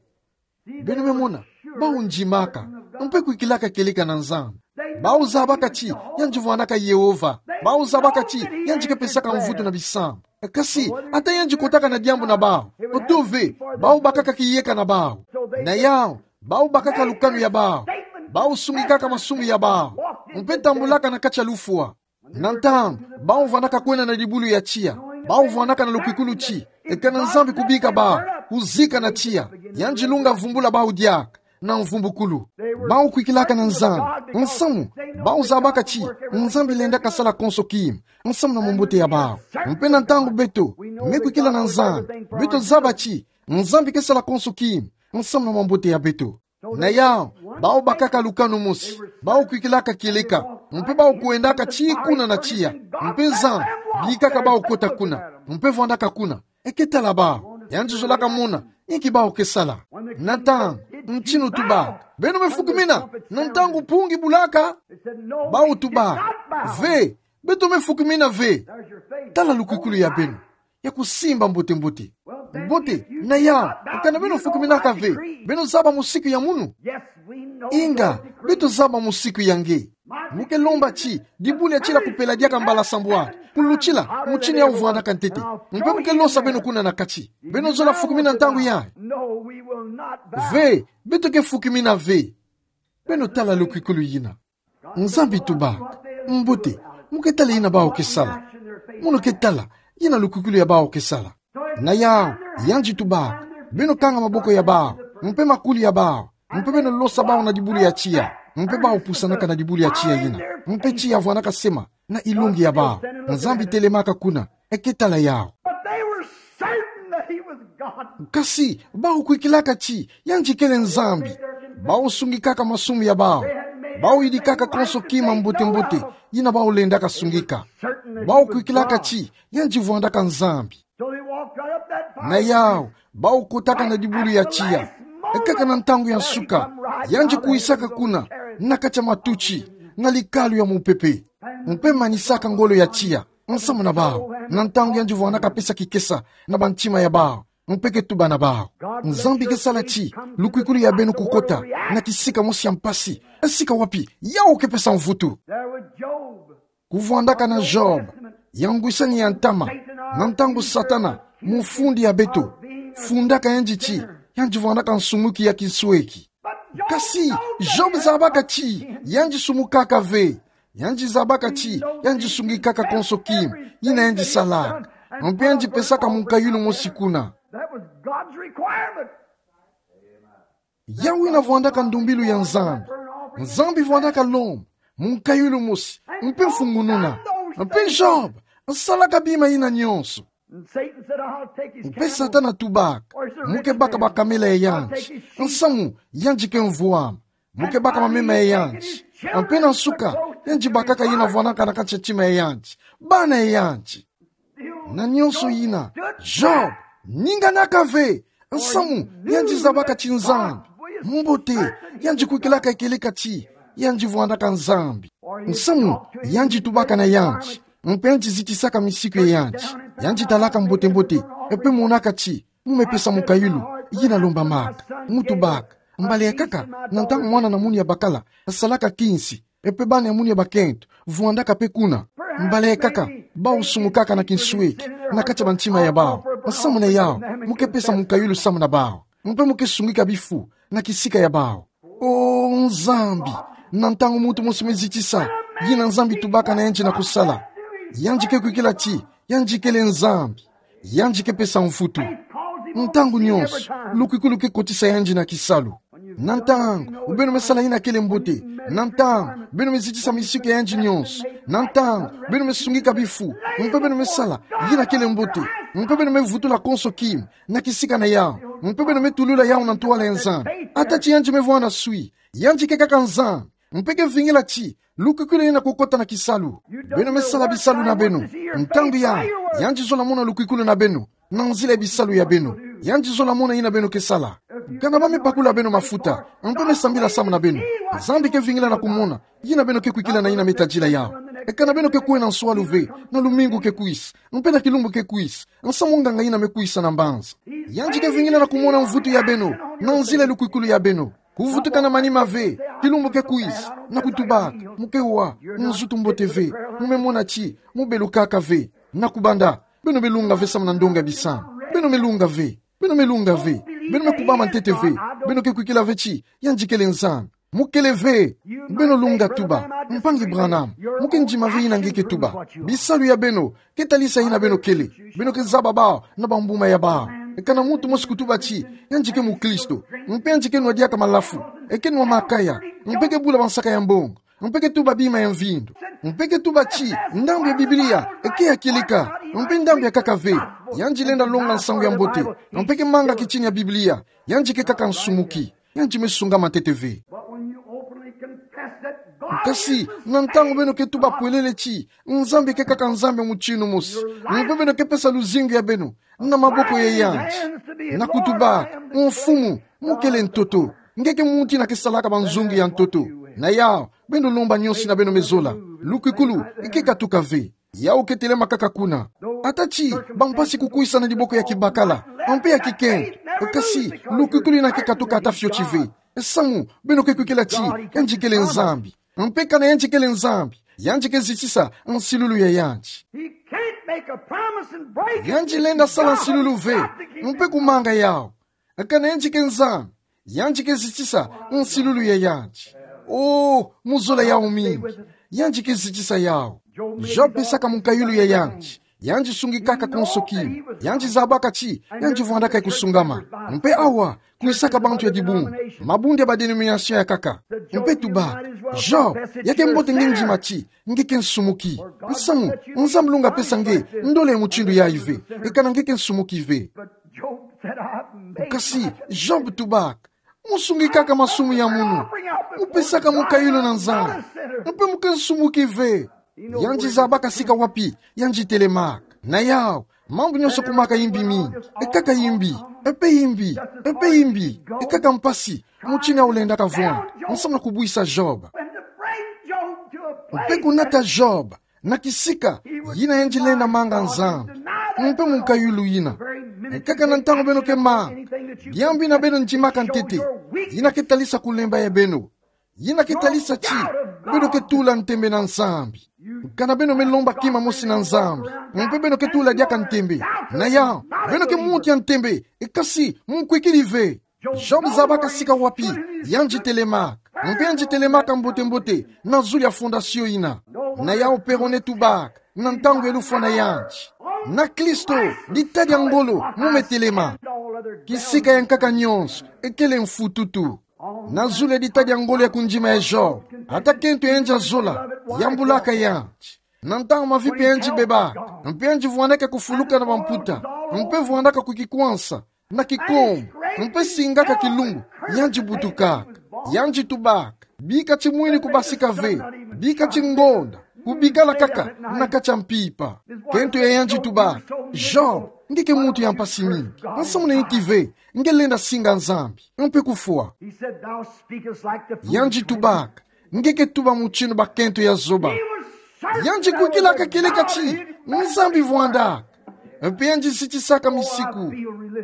Beno me mona, bau ndimaka, mpe kwikilaka kieleka na Nzambi. Bau zabaka ti, yandi vwandaka Yehova. Bau zabaka ti, yandi ke pesaka mvutu na bisambu. Kasi, ata yandi kotaka na diambu na bau. Oto ve, bau bakaka kiyeka na bau. Na yau, bau bakaka lukanu ya bau. Bau sungikaka masumu ya bau. Mpe tambulaka na kati ya lufwa. Na ntangu, bau vwandaka kwena na dibulu ya tiya. Bau vwandaka na lukwikulu ti, e kana Nzambi kubika bau, kuzika na tiya. Yandi lunga vumbula bau diaka, na mvumbukulu. Bau kwikilaka na Nzambi, nsamu, bau zabaka ti, Nzambi lendaka sala konso kima, nsamu na mambote ya bau. Mpe na ntangu beto, me kwikila na Nzambi, beto zaba ti, Nzambi ke sala konso kima, nsamu na mambote ya beto. Na yau, bau bakaka lukanu mosi, bau kwikilaka kieleka, mpe bau kwendaka ti kuna na tiya, mpe Nzambi, bikaka bau kota kuna, mpe vwandaka kuna. E ke tala bau, yandi zolaka mona, inki bau ke sala. Na ntangu, ntinu tubaka, beno me fukimina, na ntangu mpungi bulaka. Bau tuba, ve, beto me fukimina ve. Tala lukwikulu ya beno, ya kusimba mbote-mbote. Mbote, na yau, kana beno fukiminaka ve, beno zaba musiku ya munu. Inga, beto zaba musiku ya nge. Mu ke lomba ti, dibulu ya tiya kupela diaka mbala sambwadi, kulutila, mu tini yau vwandaka ntete. Mpe mu ke losa beno kuna na kati. Beno zola fukimina ntangu yayi. Ve, beto ke fukimina ve. Beno tala lukwikulu yina. Nzambi tuba, mbote, mu ke tala yina bau ke sala. Munu ke tala, yina lukwikulu ya bau ke sala. Na yau, yandi tuba, beno kanga maboko ya bau, mpe makuli ya bau, mpe beno losa bau na dibulu ya tiya, mpe bau pusanaka na dibulu ya tiya yina, mpe tiya vwandaka sema, na ilongi ya bau, Nzambi telemaka kuna, e ke tala yau. But they were certain that he was God. Kasi, bau kwikilaka ti, yandi kele Nzambi. Bau sungikaka masumu ya bau. Bau yidikaka konso kima mbote-mbote, yina bau lendaka sungika. Bau kwikilaka ti, yandi vwandaka Nzambi. So they walked right up that fire. Na yau, bau kotaka na dibulu ya tiya. E kaka na ntangu ya nsuka, yandi kwisaka kuna, na kati ya matuti, na likalu ya mupepe. Mpe manisaka ngolo ya tiya, nsamu na bau. Na ntangu yandi vwandaka pesa kikesa, na bantima ya bau. Mpe ke tuba na bau. Nzambi ke sala ti, lukwikulu ya beno kukota, na kisika mosi ya mpasi. E sika wapi, yau ke pesa mvutu. There was Job. Kuvwandaka na Job, ya ngwisani ya ntama, na ntangu Satana, mufundi ya beto, fundaka yandi ti, yandi vwandaka nsumuki ya kinsweki. Kasi, Job zabaka ti, yandi sumukaka ve, yandi zabaka ti, yandi sungikaka konso kima, yina yandi salaka. Mpe yandi pesaka munkayulu mosi kuna. That was God's requirement. Yau yina vwandaka ndumbilu ya Nzambi. Nzambi vwandaka lomba munkayulu mosi, mpe mfungununa. Mpe Job, nsalaka bima yina nyonso. And Satan said, "I'll take his camel." Mpe Satana tubaka, mu ke baka bakamela ya yandi. Nsamu, yandi ke mvwama. Mu ke baka mamema ya yandi. Mpe na nsuka, yandi bakaka yina vwandaka na kati ya ntima ya yandi. Bana ya yandi. Na nyonso yina, Job, ninganaka ve, nsamu, yandi zabaka ti Nzambi. Mbote, yandi kwikilaka kieleka ti, yandi vwandaka Nzambi. Nsamu, yandi tubaka na yandi. Mpe yandi zitisaka misiku ya yandi. Yandi talaka mbote-mbote, mpe monaka ti, mu me pesa munkayulu. Yina lombamaka, mu tubaka. Mbala yakaka, na ntangu mwana na munu ya bakala asalaka kinsi, e pe bana ya munu ya bakento vwandaka pe kuna. Mbala yakaka, bau sumukaka na kinsweki na kati ya bantima ya bau. Nsamu na yau, mu ke pesa mukayulu samu na bau. Mpe mu ke sungika bifu na kisika ya bau. O Nzambi, na ntangu muntu mosi me zitisa, yina Nzambi tubaka na yandi na kusala, yandi ke kwikila ti yandi kele Nzambi. Yandi ke pesa mvutu. Ntangu nyonso, lukwikulu ke kotisa yandi na kisalu. Na ntangu beno me sala yina kele mbote, na ntangu beno me zitisa misiku ya yandi nyonso, na ntangu beno me sungika bifu, mpe beno me sala yina kele mbote, mpe beno me vutula konso kima na kisika na yau, mpe beno me tulula yau na ntwala ya Nzambi, ata ti yandi me vwanda swi, yandi ke kaka Nzambi. Mpe ke vingila ti lukwikulu yina kukota na kisalu. Beno me sala bisalu na beno. Ntangu ya, yandi zola mona lukwikulu na beno na nzila ya bisalu ya beno. Yandi zola mona yina beno ke sala. Kana ba me bakula beno mafuta, mpe me sambila samu na beno, Nzambi ke vingila na kumona yina beno ke kwikila na yina me tadila yau. E kana beno ke kwena nswalu ve na lumingu ke kwisa, mpe na kilumbu ke kwisa, nsamu nganga yina me kwisa na mbanza, yandi ke vingila na kumona mvutu ya beno na nzila ya lukwikulu ya beno. Kuvutuka na manima ve, kilumbu ke kwisa, na kutubaka, mu ke wa nzutu mbote ve, mu me mona ti mu belukaka ve. Na kubanda, beno me lunga ve samu na ndonga bisama. Beno me lunga ve. Beno me lunga ve. Beno me kubama ntete ve. Beno ke kwikila ve ti yandi kele Nzambi. Mu kele ve. Beno lunga tuba: Mpangi Branham, mu ke ndima ve yina nge ke tuba. Bisalu ya beno ke talisa yina beno kele. Beno ke zaba bau na bambuma ya bau. E kana muntu mosi kutuba ti yandi ke mukristo, mpe yandi ke nwa diaka malafu, e ke nwa makaya, mpe ke bula bansaka ya mbongo, mpe ke tuba bima ya mvindu, mpe ke tuba ti ndambu ya Biblia e ke ya kilika, mpe ndambu ya kaka ve. Yandi lenda longa nsangu ya mbote, mpe ke manga kitini ya Biblia. Yandi ke kaka nsumuki. Yandi me sungama ntete ve. But when you openly confess that God Kasi, is the na ntangu beno ke tuba pwelele ti Nzambi ke kaka Nzambi mutinu mosi, mpe beno ke pesa luzingu ya beno na maboko ya yandi, na kutuba: Mfumu, mu kele ntoto. Nge ke muntu yina ke salaka banzungu ya ntoto. Na yau, beno lomba nyonso yina beno me zola. Lukwikulu e ke katuka ve. Yau ke telema kaka kuna. Ata ti bampasi kukwisa na diboko ya kibakala, mpe ya kikento, kasi lukwikulu yina ke katuka ata fioti ve. Samu beno ke kwikila ti yandi kele Nzambi. Mpe kana yandi kele Nzambi, yandi ke zitisa nsilulu ya yandi. He can't make a promise and break it. Yandi lenda sala nsilulu ve, mpe kumanga yau. Kana yandi ke Nzambi, yandi ke zitisa nsilulu ya yandi. Oh, mu zola yau mingi. Yandi ke zitisa yau. Job pesaka mukayulu ya yandi. Yandi sungikaka konso kima. Yandi zabaka ti yandi vwandaka ye kusungama. Mpe awa, kwisaka bantu ya dibungu, mabundu ya ba dénomination ya kaka. Mpe tuba: Job, ya ke mbote nge ndima ti nge ke nsumuki. Nsamu, Nzambi lunga pesa nge ndole ya mutindu yayi ve, e kana nge ke nsumuki ve. But Job said, "I made Kasi Job tubaka: Mu sungikaka masumu ya munu. Mu pesaka mukayulu na Nzambi. Mpe mu ke nsumuki ve." Yandi zabaka sika wapi yandi telemaka. Na yau, mambu nyonso kumaka yimbi mingi. E kaka yimbi, e pe yimbi, e pe yimbi. E kaka mpasi mutindu yina lenda kavwa, nsamu na kubwisa Job. Mpe kunata Job na kisika yina yandi lenda manga Nzambi, mpe mukayulu yina. E kaka na ntangu beno ke manga biambu yina beno ndimaka ntete, yina ke talisa kulemba ya beno, yina ke talisa ti beno ke tula ntembe na Nzambi. Kana beno me lomba kima mosi na Nzambi, mpe beno ke tula diaka ntembe. Na yau, beno ke muntu ya ntembe, e kasi mu kwikiri ve. Job zabaka sika wapi yandi telemaka. Mpe yandi telemaka mbote-mbote na zulu ya fondation yina. Na yau, Perone tubaka na ntangu ya lufwa na yandi: Na Kristo, dita dia ngolo mu me telema. Kisika ya nkaka nyonso e kele mfututu. Na zulu ya dita dia ngolo ya kundima ya Job, ata kento yandi ya zola yambulaka yandi. Na ntangu mavipa yandi bebaka, mpe yandi vwandaka kufuluka na bamputa, mpe vwandaka kukikwansa na kikombo, mpe singaka kilumbu, yandi butukaka. Yandi tubaka: Bika timwini kubasika ve, bika tingonda kubikala kaka na kati ya mpimpa. Kento ya yandi tubaka: Job, nge ke muntu ya mpasi mingi. Nsamu na inti ve nge lenda singa Nzambi, mpe kufwa. He said, "Thou speakest like the foolish Yandi man." Tubaka: Nge ke tuba mutindu bakento ya zoba. He was certain Yandi kwikilaka kieleka ti Nzambi vwandaka. Mpe yandi zitisaka misiku.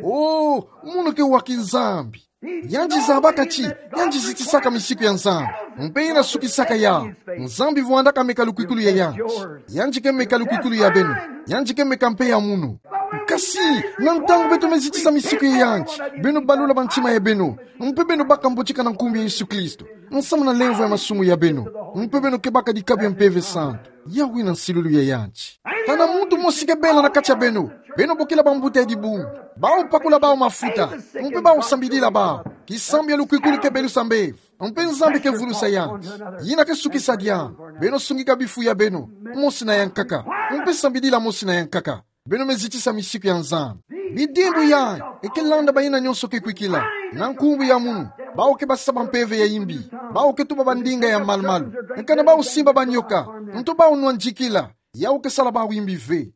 Oh, mono ke wa ki Nzambi. Yandi zabaka ti, yandi zitisaka misiku ya Nzambi. Mpe ina sukisaka ya. Nzambi vwandaka meka lukwikulu ya yandi. Yandi ke meka lukwikulu ya beno. Yandi ke meka mpe ya mono. Kasi, na ntangu beto me zitisa misiku ya yandi, beno balula bantima ya beno. Mpe beno baka mbotika na nkumbu ya Yesu Kristo. Nsamu na lemvo ya masumu ya beno. Mpe beno ke baka dikabu ya Mpeve Santu. Yawu ina nsilulu ya yandi. Kana muntu mosi ke bela na kati ya beno. Beno bokila bambuta ya dibungu. Bawu pakula bawu mafuta. Mpe bawu sambidila bawu. Kisambu ya lukwikulu ke belusa mbevo. Mpe Nzambi ke vulusa yandi. Ina ke sukisa diambu. Beno sungika bifu ya beno. Mosi na yankaka. Mpe sambidila mosi na yankaka. Beno me zitisa misiku ya Nzambi. Bidimbu yayi, e ke landa bayina nyonso ke kwikila. Na nkumbu ya mono, bawu ke basa bampeve ya imbi. Bawu ke tuba bandinga ya malu-malu. Kana bawu simba banyoka. Nto bawu nwa ndikila. Yawu ke sala bawu imbi ve.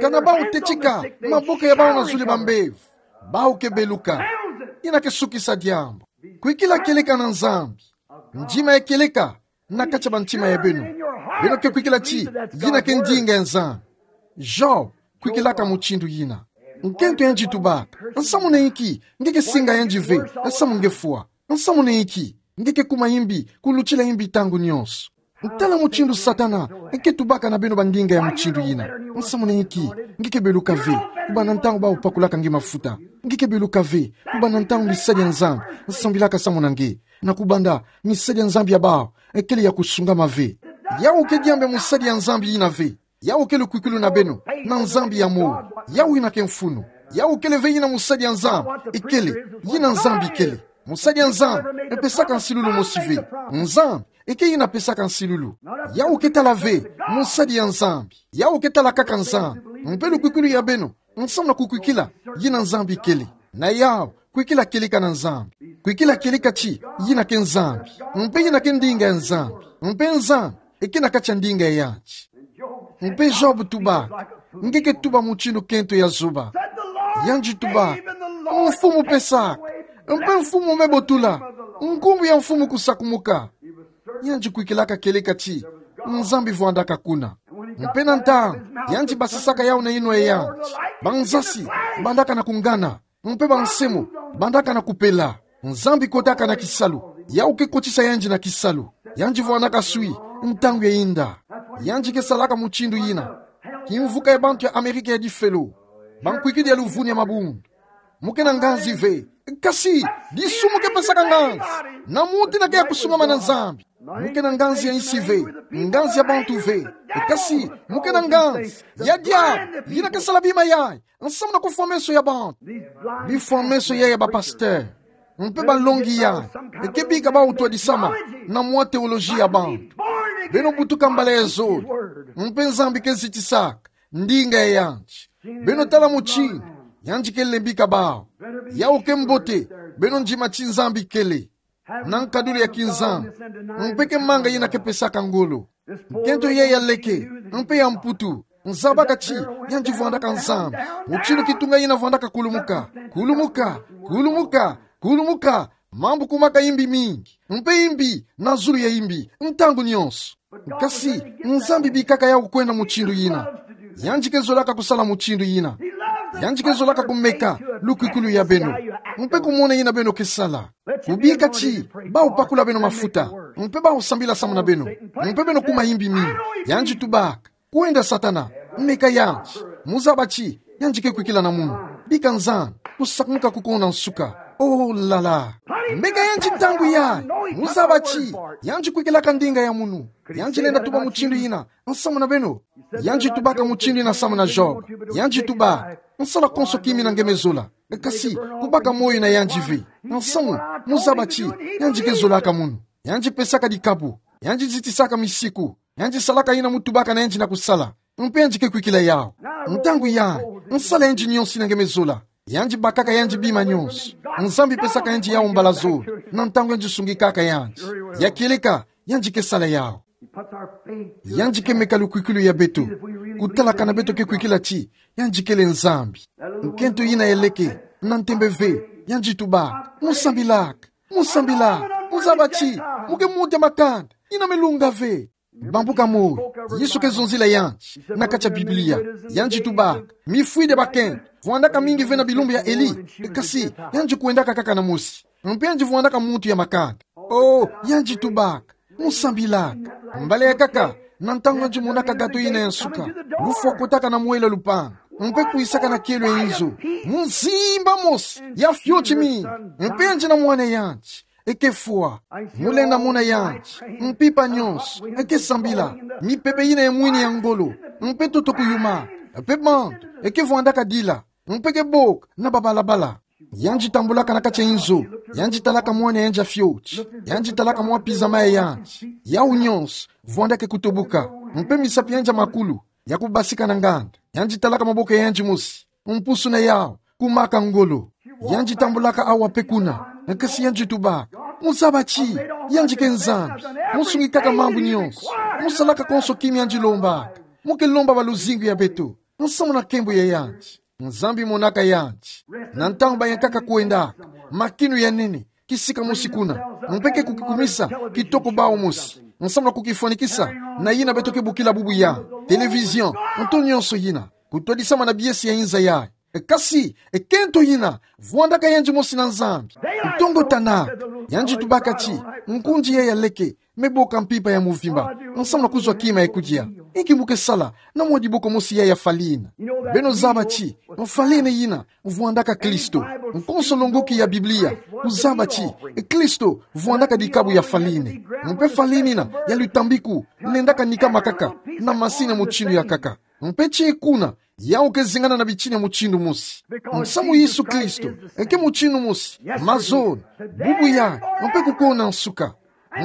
Kana bawu tetika, maboko ya bawu na zulu ya bambevo. Bawu ke beluka. Ina ke sukisa diambu. Kwikila kieleka na Nzambi. Ndima ya kieleka na kati ya bantima ya beno. Beno ke kwikila ti, yina ke ndinga ya Nzambi. Job kwikilaka mutindu yina. Nkento yandi tubaka: Nsamu na inki nge ke singa yandi ve, nsamu nge fwa? Nsamu na inki nge ke kuma imbi, kulutila imbi ntangu nyonso? Tala mutindu Satana ke tubaka na beno bandinga ya mutindu yina. Nsamu na inki nge ke beluka ve, kubanda ntangu bawu pakulaka nge mafuta? Nge ke beluka ve, kubanda ntangu misadi ya Nzambi sambilaka samu na nge, na kubanda misadi ya Nzambi ya bawu kele ya kusungama ve? Yawu ke diambu ya musadi ya Nzambi yina ve. Yawu ke lukwikulu na beno na Nzambi ya moyo. Yawu ina ke mfunu. Yawu kele ve yina musadi ya Nzambi ikele, yina Nzambi ikele. Musadi ya Nzambi epesaka nsilulu mosi ve. Nzambi eke yina pesaka nsilulu. Yawu ke tala ve musadi ya Nzambi. Yawu ke tala kaka Nzambi. Mpe lukwikulu ya beno nsamu na kukwikila yina Nzambi ikele. Na yawu, kwikila kieleka na Nzambi. Kwikila kieleka ti, yina ke Nzambi. Mpe yina ke ndinga ya Nzambi. Mpe Nzambi eke na kati ya ndinga ya yandi. Mpe Job tubaka: Nge ke tuba mutindu nkento ya zoba. Yandi tubaka: Mfumu pesaka, mpe Mfumu me botula, nkumbu ya Mfumu kusakumuka. Yandi kwikilaka kieleka ti Nzambi vwandaka kuna. Mpe na ntangu yandi basisaka yawu na yinwa ya yandi, banzasi bandaka na kungana, mpe bansemo bandaka na kupela. Nzambi kotaka na kisalu. Yawu ke kotisa yandi na kisalu. Yandi vwandaka swi ntangu ya inda. Yandi ke salaka mutindu yina. Kimvuka ya bantu ya Amerika ya difelo, bankwikidi ya luvunu ya mabundu. Mu ke na nganzi ve. Kasi disumu ke pesaka nganzi na muntu ina ke ya kusungama na Nzambi. Mu ke na nganzi ya insi ve, nganzi ya bantu ve. Kasi mu ke na nganzi ya diabu, yina ke sala bima yayi nsamu na kufwa meso ya bantu. Bifwa meso yayi ya bapasteur mpe balongi yayi, eke bika bawu twadisama na mwa teoloji ya bantu. Beno butuka mbala ya zole, mpe Nzambi ke zitisaka ndinga ya yandi. Beno tala mutindu yandi ke lembika bawu. Yawu ke mbote, beno ndima ti Nzambi kele na nkadulu ya kinzambi, mpe ke manga yina ke pesaka ngolo. Nkento yayi ya leke mpe ya Mputu, nzabaka ti yandi vwandaka Nzambi. Mutindu kitunga yina vwandaka kulumuka, kulumuka, kulumuka, kulumuka, mambu kumaka imbi mingi, mpe imbi na zulu ya imbi, ntangu nyonso. Kasi Nzambi bikaka yawu kwenda mutindu yina. Yandi ke zolaka kusala mutindu yina. Yandi ke zolaka kumeka lukwikulu ya beno, mpe kumona yina beno ke sala. Kubika ti bawu pakula beno mafuta, mpe bawu sambila samu na beno, mpe beno kuma imbi mingi. Yandi tubaka: Kwenda Satana, meka yandi. Mu zaba ti yandi ke kwikila na munu. Bika Nzambi, kusakumuka kuko na nsuka. Oh là là. Meka yandi ntangu yayi. Mu zaba ti yandi kwikilaka ndinga ya munu. Yandi lenda tuba mutindu yina nsamu na beno. Yandi tubaka mutindu yina samu na Job. Yandi tuba: Nsala konso kimi na nge me zola, kasi kubaka moyo na yandi ve. Nsamu, mu zaba ti yandi ke zolaka munu. Yandi pesaka dikabu. Yandi zitisaka misiku. Yandi salaka yina mu tubaka na yandi na kusala, mpe yandi ke kwikila yawu. Ntangu yayi, nsala yandi nyonso ina nge me zola. Yandi bakaka yandi bima nyonso. Nzambi pesaka yandi yawu mbala zole na ntangu yandi sungikaka yandi. Ya kieleka, yandi ke sala yawu. Yandi ke meka lukwikulu ya beto, kutala kana beto ke kwikila ti yandi kele Nzambi. Nkento yina ya leke, na ntembe ve, yandi tuba: Mu sambilaka, mu sambilaka, mu zaba ti mu ke muntu ya makanda, yina me lunga ve. Bambuka moi, Yesu ke zonzila yandi na kati ya Biblia. Yandi tubaka: Mifwidi bakento, vwandaka mingi ve na bilumbu ya Eli, kasi yandi kwendaka kaka na mosi. Mpe yandi vwandaka muntu ya makanda. Oh, yandi tubaka: Musambilaka. Mbala ya kaka, na ntangu yandi monaka gato yina ya nsuka, lufwa kotaka na mwela lupangu, mpe kwisaka na kielo ya inzo. Muzimba mosi ya fioti mingi, mpe yandi na mwana yandi, e ke fwa. Mu lenda mona yandi, mpimpa nyonso e ke sambila, mipepe yina ya mwini ya ngolo, mpe ntoto kuyuma, mpe bantu e ke vwandaka dila, mpe ke boka na babalabala. Yandi tambulaka na kati ya inzo, yandi talaka mwana ya yandi ya fioti, yandi talaka mwa pizama ya yandi, yawu nyonso vwandaka kutoboka, mpe misapi ya yandi ya makulu ya kubasika na nganda. Yandi talaka maboko ya yandi mosi, mpusu na yawu kumaka ngolo. Yandi tambulaka awa mpe kuna, kasi yandi tubaka: Muzaba ti, yandi ke Nzambi, musungikaka mambu nyonso, musalaka konso kima yandi lombaka, mu ke lomba ba luzingu ya beto, nsamu na nkembo ya yandi. Nzambi monaka yandi. Na ntangu bayankaka kwendaka, makinu ya nene kisika mosi kuna, mpe ke kukikumisa kitoko bawu mosi, nsamu na kukifwanikisa na yina beto ke bokila bubu ya télévision, nto nyonso yina, kutwadisama na biesi ya inza yayi. Kasi e kento yina vwandaka yandi mosi na Nzambi. Ntongo tana, yandi tubaka ti: Nkundi yayi ya leke me boka mpimpa ya muvimba, nsamu na kuzwa kima ya kudia. Inki mu ke sala na mwa diboko mosi yayi ya farine? Beno zaba ti farine yina vwandaka Kristo. Konso longoki ya Biblia kuzaba ti Kristo vwandaka dikabu ya farine. Mpe farine yina ya lutambiku lendaka nikama kaka na masini mutindu ya nkaka. Mpe ti kuna, yawu ke zingana na bitini ya mutindu mosi. Nsamu Yesu Kristo e ke mutindu mosi, mazono, bubu yayi, mpe kukona nsuka.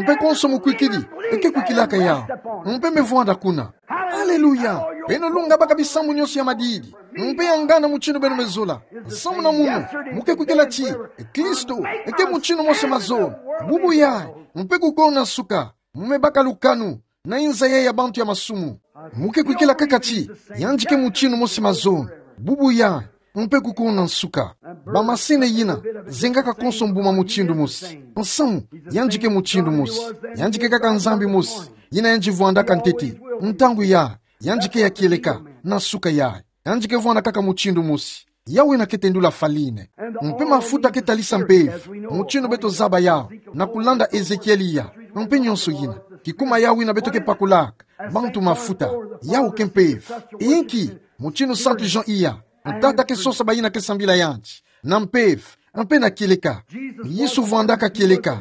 Mpe konso mukwikidi e ke kwikilaka yawu, mpe me vwanda kuna. Aleluya! Beno lunga baka bisambu nyonso ya madidi, mpe ya ngana mutindu beno me zola. Nsamu na munu, mu ke kwikila ti Kristo e ke mutindu mosi, mazono, bubu yayi, mpe kukona nsuka. Mu me baka lukanu na inza yayi ya bantu ya masumu. Mu ke kwikila kaka ti yandi ke mutindu mosi, mazono, bubu yayi, mpe kukona nsuka. Ba masini yina zengaka konso mbuma mutindu mosi. Nsamu, yandi ke mutindu mosi. Yandi ke kaka Nzambi mosi yina yandi vwandaka ntete, ntangu yayi, yandi ke ya kieleka, na nsuka yayi. Yandi ke vwanda kaka mutindu mosi. Yawu yina ke tendula farine. Mpe mafuta ke talisa mpeve, mutindu beto zaba yawu na kulanda Ezekieli ya, mpe nyonso yina. Kikuma yawu yina beto ke pakulaka bantu mafuta, yawu ke mpeve. Inki, mutindu Santu Jean iya, tata ke sosa bayina ke sambila yandi na mpeve, mpe na kieleka. Yesu vwandaka kieleka.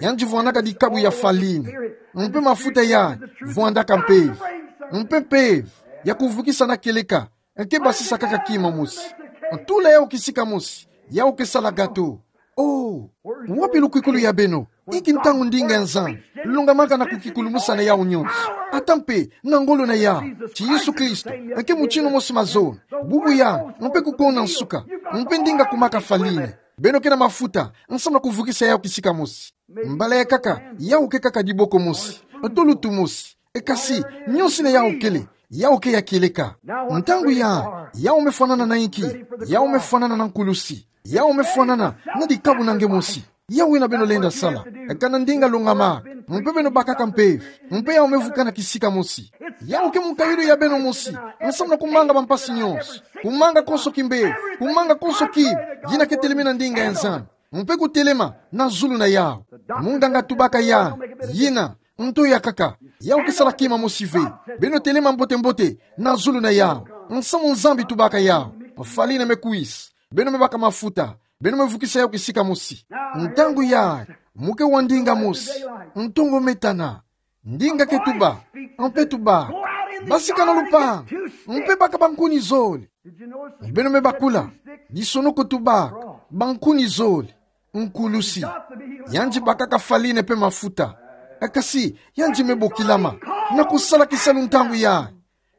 Yandi vwandaka dikabu ya farine. Mpe mafuta yayi vwandaka mpeve. Mpe mpeve ya kuvukisa na kieleka e ke basisa kaka kima mosi. Tula yawu kisika mosi, yawu ke sala gato. Oh, wapi lukwikulu ya beno? Inki ntangu ndinga ya Nzambi lungamaka na kukikulumusa na yawu nyonso, ata mpe na ngolo na yawu, ti Yesu Kristo e ke mutindu mosi, mazono, bubu yayi, mpe kukona nsuka, mpe ndinga kumaka farine? Beno ke na mafuta nsamu na kuvukisa yawu kisika mosi. Mbala ya nkaka, yawu ke kaka diboko mosi, to lutu mosi. E kasi, nyonso yina yawu kele, yawu ke ya kieleka. Ntangu yayi, yawu me fwanana na inki? Yawu me fwanana na nkulusi. Yawu me fwanana na dikabu na nge mosi. Yawu yina beno lenda sala. Kana ndinga lungamaka, mpe beno bakaka mpeve, mpe yawu me vukana kisika mosi. Yawu ke mukayulu ya beno mosi, nsamu na kumanga bampasi nyonso, kumanga konso kimbevo, kumanga konso kima yina ke telemi na ndinga ya Nzambi, mpe kutelema na zulu na yawu. Munganga tubaka yawu: Yina nto ya nkaka, yawu ke sala kima mosi ve. Beno telema mbote-mbote na zulu na yawu. Nsamu Nzambi tubaka yawu. Farine me kwisa, beno me baka mafuta, beno me vukisa yawu kisika mosi. Ntangu yayi, mu ke wa ndinga mosi. Ntongo me tana. Ndinga ke tuba, mpe tuba: Basika na lupangu, mpe baka bankuni zole. Beno me bakula, disonoko tubaka bankuni zole, nkulusi. Yandi bakaka farine mpe mafuta. E kasi, yandi me bokilama na kusala kisalu ntangu yayi.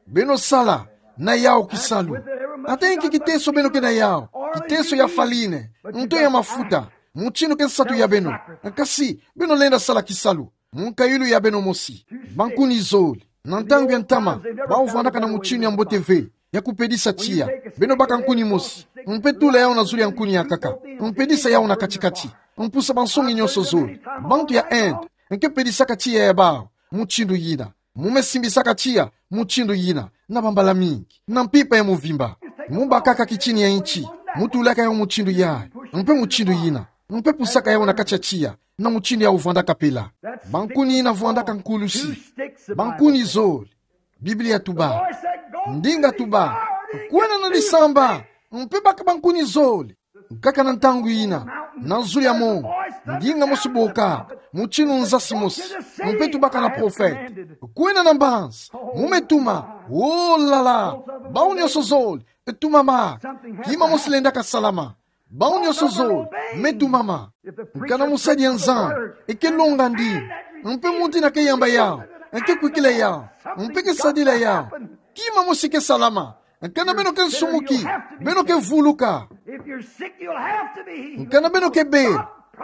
Beno sala na yawu kisalu. Ata inki kiteso beno ke na yawu, kiteso ya farine, nto ya mafuta, mutindu ke nsatu ya beno. E kasi, beno lenda sala kisalu, mukayulu ya beno mosi. Bankuni zole, na ntangu ya ntama, bawu vwandaka na mutindu ya mbote ve ya kupedisa tiya. Beno baka nkuni mosi, mpe tula yawu na zulu ya nkuni ya nkaka, mpedisa yawu na kati-kati, mpusa bansoni nyonso zole. Bantu ya Inde ke pedisaka tiya ya bawu mutindu yina. Mu me simbisaka tiya mutindu yina na bambala mingi, na mpimpa ya muvimba. Mu bakaka kitini ya nti, mu tulaka yawu mutindu yayi, mpe mutindu yina, mpe pusaka yawu na kati ya tiya, na mutindu yawu vwandaka pela. Bankuni yina vwandaka nkulusi. Bankuni zole. Biblia tuba, ndinga tuba, kwenda na disamba, mpe baka bankuni zole. Nkaka na ntangu yina, na zulu ya mongo, ndinga mosi boka, mutindu nzasi mosi, mpe tubaka na profete, kwenda na mbanza, mu me tuma. Oh là là, bawu nyonso zole, tumama. Kima mosi lendaka salama. Bawu nyonso zole me tumama. Nkana musadi ya Nzambi eke longa ndinga, mpe muntu yina ke yamba yawu, eke kwikila yawu, mpe ke sadila yawu, kima mosi ke salama. Nkana beno ke nsumuki, beno ke vuluka. Nkana beno ke be,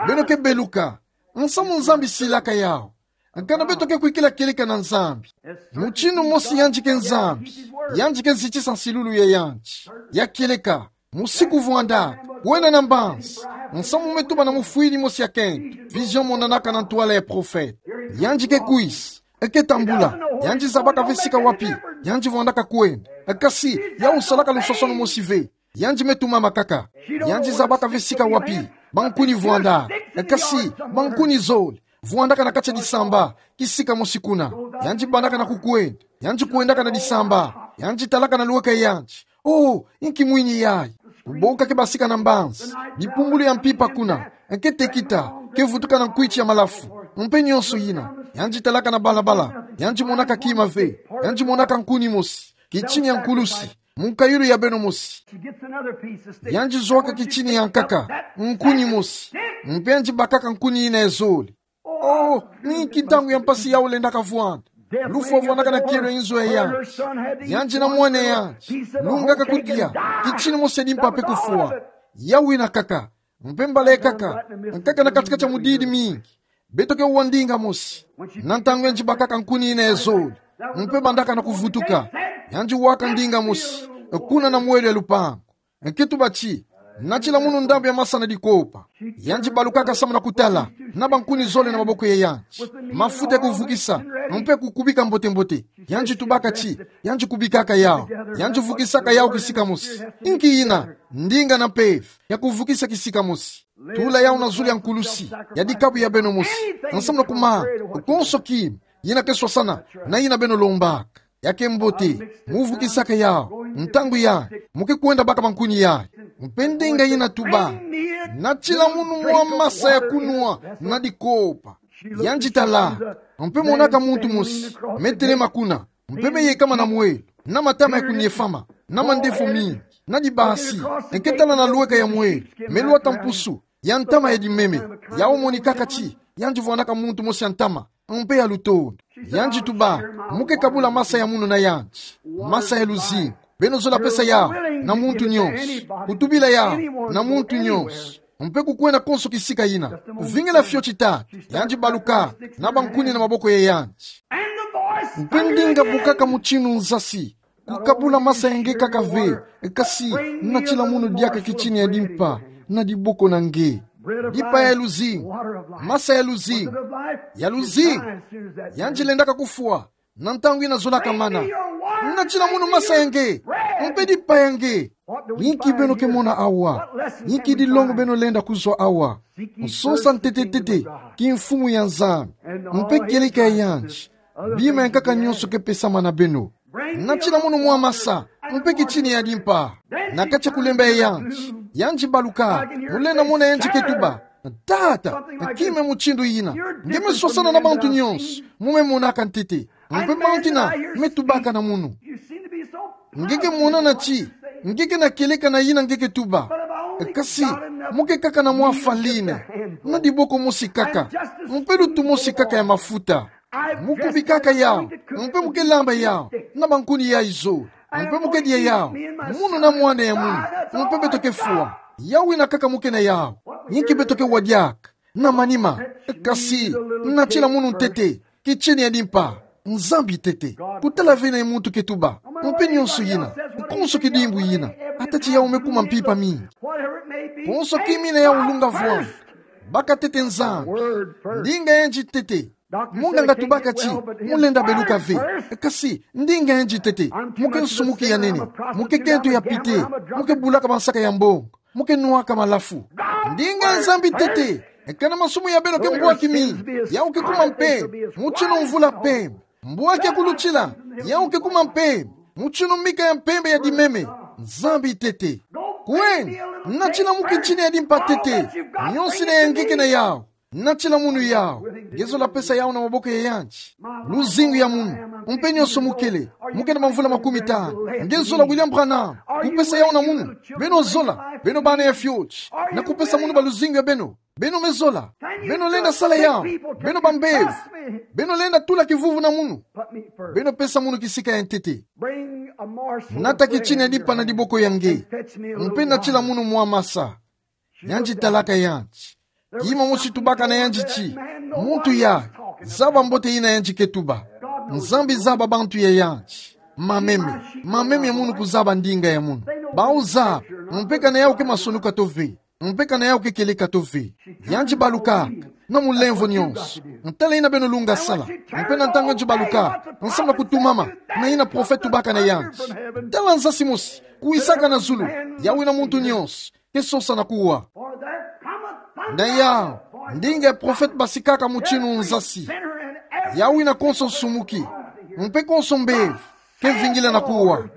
beno ke beluka. Nsamu Nzambi silaka yawu. Nkana beto ke kwikila kieleka na Nzambi, mutindu mosi yandi ke Nzambi, yandi ke zitisa nsilulu ya yandi. Ya kieleka, musi kuvwanda, kwenda na mbanza, nsamu me tuba na mufwiri mosi ya kento, vision monanaka na ntwala ya profete. Yandi ke kwisa, eke tambula, yandi zabaka ve sika wapi yandi vwandaka kwenda. Kasi, yawu salaka lusosonu mosi ve. Yandi me tumama kaka. Yandi zabaka ve sika wapi bankuni vwanda. Kasi, bankuni zole vwandaka na kati ya disamba, kisika mosi kuna. Yandi bandaka na kukwenda. Yandi kwendaka na disamba. Yandi talaka na lweka ya yandi: Oh, inki mwini yayi? Kuboka ke basika na mbanza, bipumbulu ya mpimpa kuna, ke tekita, ke vutuka na nkwiti ya malafu, mpe nyonso yina. Yandi talaka na balabala, yandi monaka kima ve. Yandi monaka nkuni mosi, kitini ya nkulusi, mukayulu ya beno mosi. Yandi zwaka kitini ya nkaka, nkuni mosi, mpe yandi bakaka nkuni yina ya zole. Oh, ni inki ntangu ya mpasi yawu lendaka vwanda! Lufwa vwandaka na kielo ya inzo ya yandi. Yandi na mwana ya yandi lungaka kudia, kitini mosi ya dimpa mpe kufwa. Yawu yina kaka, mpe mbala ya kaka, nkaka na kati-kati ya mudidi mingi, beto ke wa ndinga mosi. Na ntangu yandi bakaka nkuni yina ya zole, mpe bandaka na kuvutuka, yandi waka ndinga mosi, kuna na mwelo ya lupangu. Ke tuba ti: Natila munu ndambu ya masa na dikopa. Yandi balukaka samu na kutala, na bankuni zole na maboko ya yandi, mafuta ya kuvukisa, mpe kukubika mbote-mbote. Yandi tubaka ti yandi kubikaka yawu, yandi vukisaka yawu kisika mosi. Inki yina? Ndinga na mpeve ya kuvukisa kisika mosi. Tula yawu na zulu ya nkulusi ya dikabu ya beno mosi, nsamu na kuma konso kima yina ke swasana na yina beno lombaka. Ya ke mbote, mu vukisaka yawu, ntangu yayi mu ke kwenda baka bankuni yayi. Mpe ndinga yina tuba: Natila munu mwa masa ya kunwa na dikopa. Yandi tala, mpe monaka muntu mosi me telema kuna, mpe me yekama na mwelo, na matama ya kuniefama, na mandefu mingi, na dibasi, ke tala na lweka ya mwelo, me lwata mpusu ya ntama ya dimeme. Yawu monikaka ti yandi vwandaka muntu mosi ya ntama, mpe ya lutondo. Yandi tuba: Mu ke kabula masa ya munu na yandi, masa ya luzingu. Beno zola pesa yawu na muntu nyonso, kutubila yawu na muntu nyonso, mpe kukwenda konso kisika yina. Vingila fioti tata. Yandi baluka na bankuni na maboko ya yandi. Mpe ndinga bukaka mutindu nzasi: Kukabula masa ya nge kaka ve, kasi natila munu diaka kitini ya dimpa na diboko na nge. Dimpa ya luzingu, masa ya luzingu, ya luzingu. Yandi lendaka kufwa na ntangu yina zolaka mana. Natila munu masa ya nge, mpe dimpa ya nge. Inki beno ke mona awa? Inki dilongo beno lenda kuzwa awa? Nsonsa ntete-ntete kimfumu ya Nzambi, mpe kieleka ya yandi, bima ya nkaka nyonso ke pesama na beno. Natila munu mwa masa, mpe kitini ya dimpa. Na kati ya kulemba ya yandi, yandi baluka, mu lenda mona yandi ke tuba: Tata, kima mutindu yina, nge me swasana na bantu nyonso, mu me monaka ntete, mpe bantu yina me tubaka na munu. Nge ke monana ti nge ke na kieleka na yina nge ke tuba. Kasi mu ke kaka na mwa faline, na diboko mosi kaka, mpe lutu mosi kaka ya mafuta. Mu kubikaka yawu, mpe mu ke lamba yawu na bankuni yayi zole, mpe mu ke dia yawu, munu na mwana ya munu, mpe beto ke fwa. Yawu yina kaka mu ke na yawu. Inki beto ke wadiaka na manima? Kasi natila munu ntete, kitini ya dimpa, Nzambi ntete. Kutala ve nani muntu ke tuba, mpe nyonso yina, konso kidimbu yina, ata ti yawu me kuma mpimpa mingi. Konso kima yina yawu lunga vwanda, baka ntete Nzambi. Ndinga yandi ntete. Munganga tubaka ti, mu lenda beluka ve. Kasi, ndinga yandi tete. Mo ke nsumuki ya nene. Mo ke kento ya pite. Mo ke bulaka bansaka ya mbongo. Mo ke nuaka malafu. Ndinga ya Nzambi tete. Ekana masumu ya beno ke mbwaki mi, yau ke kuma mpembe, mutino mvula mpembe. Mbwaki ya kulutila, yau ke kuma mpembe, mutino mika ya mpembe ya dimeme. Nzambi tete. Kweni, natila mu kitini ya dimpa tete. Nionso ina ya nge ke na yau. Natila munu yau. Nge zola pesa yau na maboko ya yandi. Luzingu ya munu. Mpe nionso mu kele. Mu ke na bamvula makumi tanu. Nge zola William Branham kupesa yau na munu. Beno zola. Beno bana ya fioti. Na kupesa munu ba luzingu ya beno. Beno me zola. Beno lenda sala yau. Beno bambevo. Beno lenda tula kivuvu na munu. Beno pesa munu kisika ya ntete. Nata kitini ya dimpa na diboko ya nge. Mpe natila munu mwa masa. Yandi talaka yandi. Kima mosi tubaka na yandi ti, muntu ya, zaba mbote ina yandi ke tuba. Nzambi zaba bantu ya yandi. Mameme, mameme ya munu kuzaba ndinga ya munu. Bau zaba, mpe kana yau ke masonuka to ve. Mpe kana yau ke kieleka to ve. Yandi balukaka, na mulemvo nionso. Ntala ina beno lunga sala. Mpe na ntangu yandi balukaka, nsamu na kutumama, na ina profete tubaka na yandi. Tala nzasi mosi, kwisaka na zulu, yau ina muntu nionso ke sosa na kuwa. Na yau, ndinga ya profete basikaka mutino nzasi. Yau ina konso nsumuki, mpe konso mbevo, ke vingila na kuwa.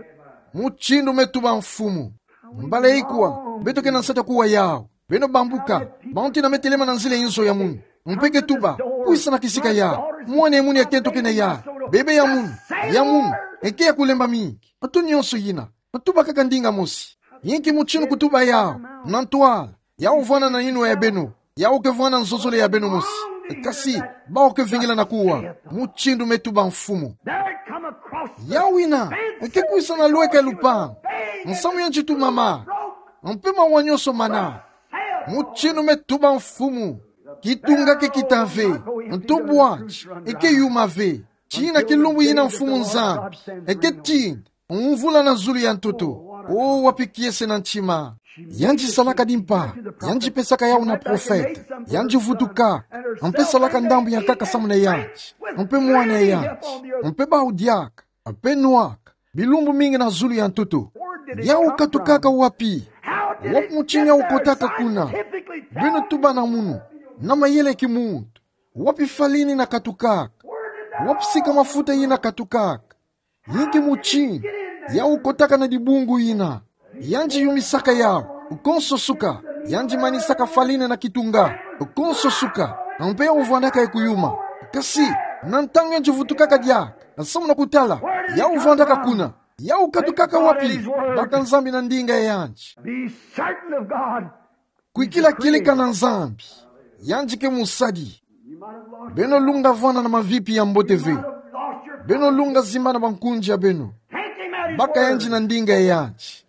Mutindu me tuba Mfumu. Mbala ikwa, beto ke na nsatu ya kuwa yau. Beno bambuka, bantu ina me telema na nzila inzo ya munu. Mpe ke tuba, kwisa na kisika yau. Mwana ya munu ya kento ke na yau. Bebe ya munu, ya munu, eke ya kulemba mingi. Atu nionso ina. Tubakaka ndinga mosi. Inki mutino kutuba yau, na ntwala, yau vwanda na inwa ya beno, yau ke vwanda nzozole ya beno mosi. Kasi, bau ke vingila na kuwa, mutindu me tuba Mfumu. Yau ina, eke kwisa na lweka ya lupangu, nsamu yandi tumama, mpe mawa nionso mana. Mutindu me tuba Mfumu, kitunga ke kita ve, nto bwati, eke yuma ve, tina kilumbu ina Mfumu Nzambi, eke tinda mvula na zulu ya ntoto. O wapi kiese na ntima. Yandi salaka dimpa, yandi pesaka yau na profete, yandi vutuka, mpe salaka ndambu ya nkaka samu na yandi, mpe mwana ya yandi, mpe bau diaka, mpe nwaka, bilumbu mingi na zulu ya ntoto. Yau katukaka wapi? Wapi mutini yau kotaka kuna? Beno tuba na munu, na mayele kimuntu. Wapi falini ina katukaka? Wapi sika mafuta ina katukaka? Inki mutini yau kotaka na dibungu ina? Yandi yumisaka yau, konso suka. Yandi manisaka falini na kitunga, konso suka. Mpe yau vwandaka ye kuyuma. Kasi, na ntangu yandi vutukaka diaka, nsamu na kutala, yau vwandaka kuna. Yau katukaka wapi? Baka Nzambi na ndinga ya yandi. Be certain of God. Kwikila kieleka na Nzambi. Yandi ke mosadi. Beno lunga vwanda na mavipi ya mbote ve. Beno lunga zimbana bankunzi ya beno. Baka yandi na ndinga ya yandi.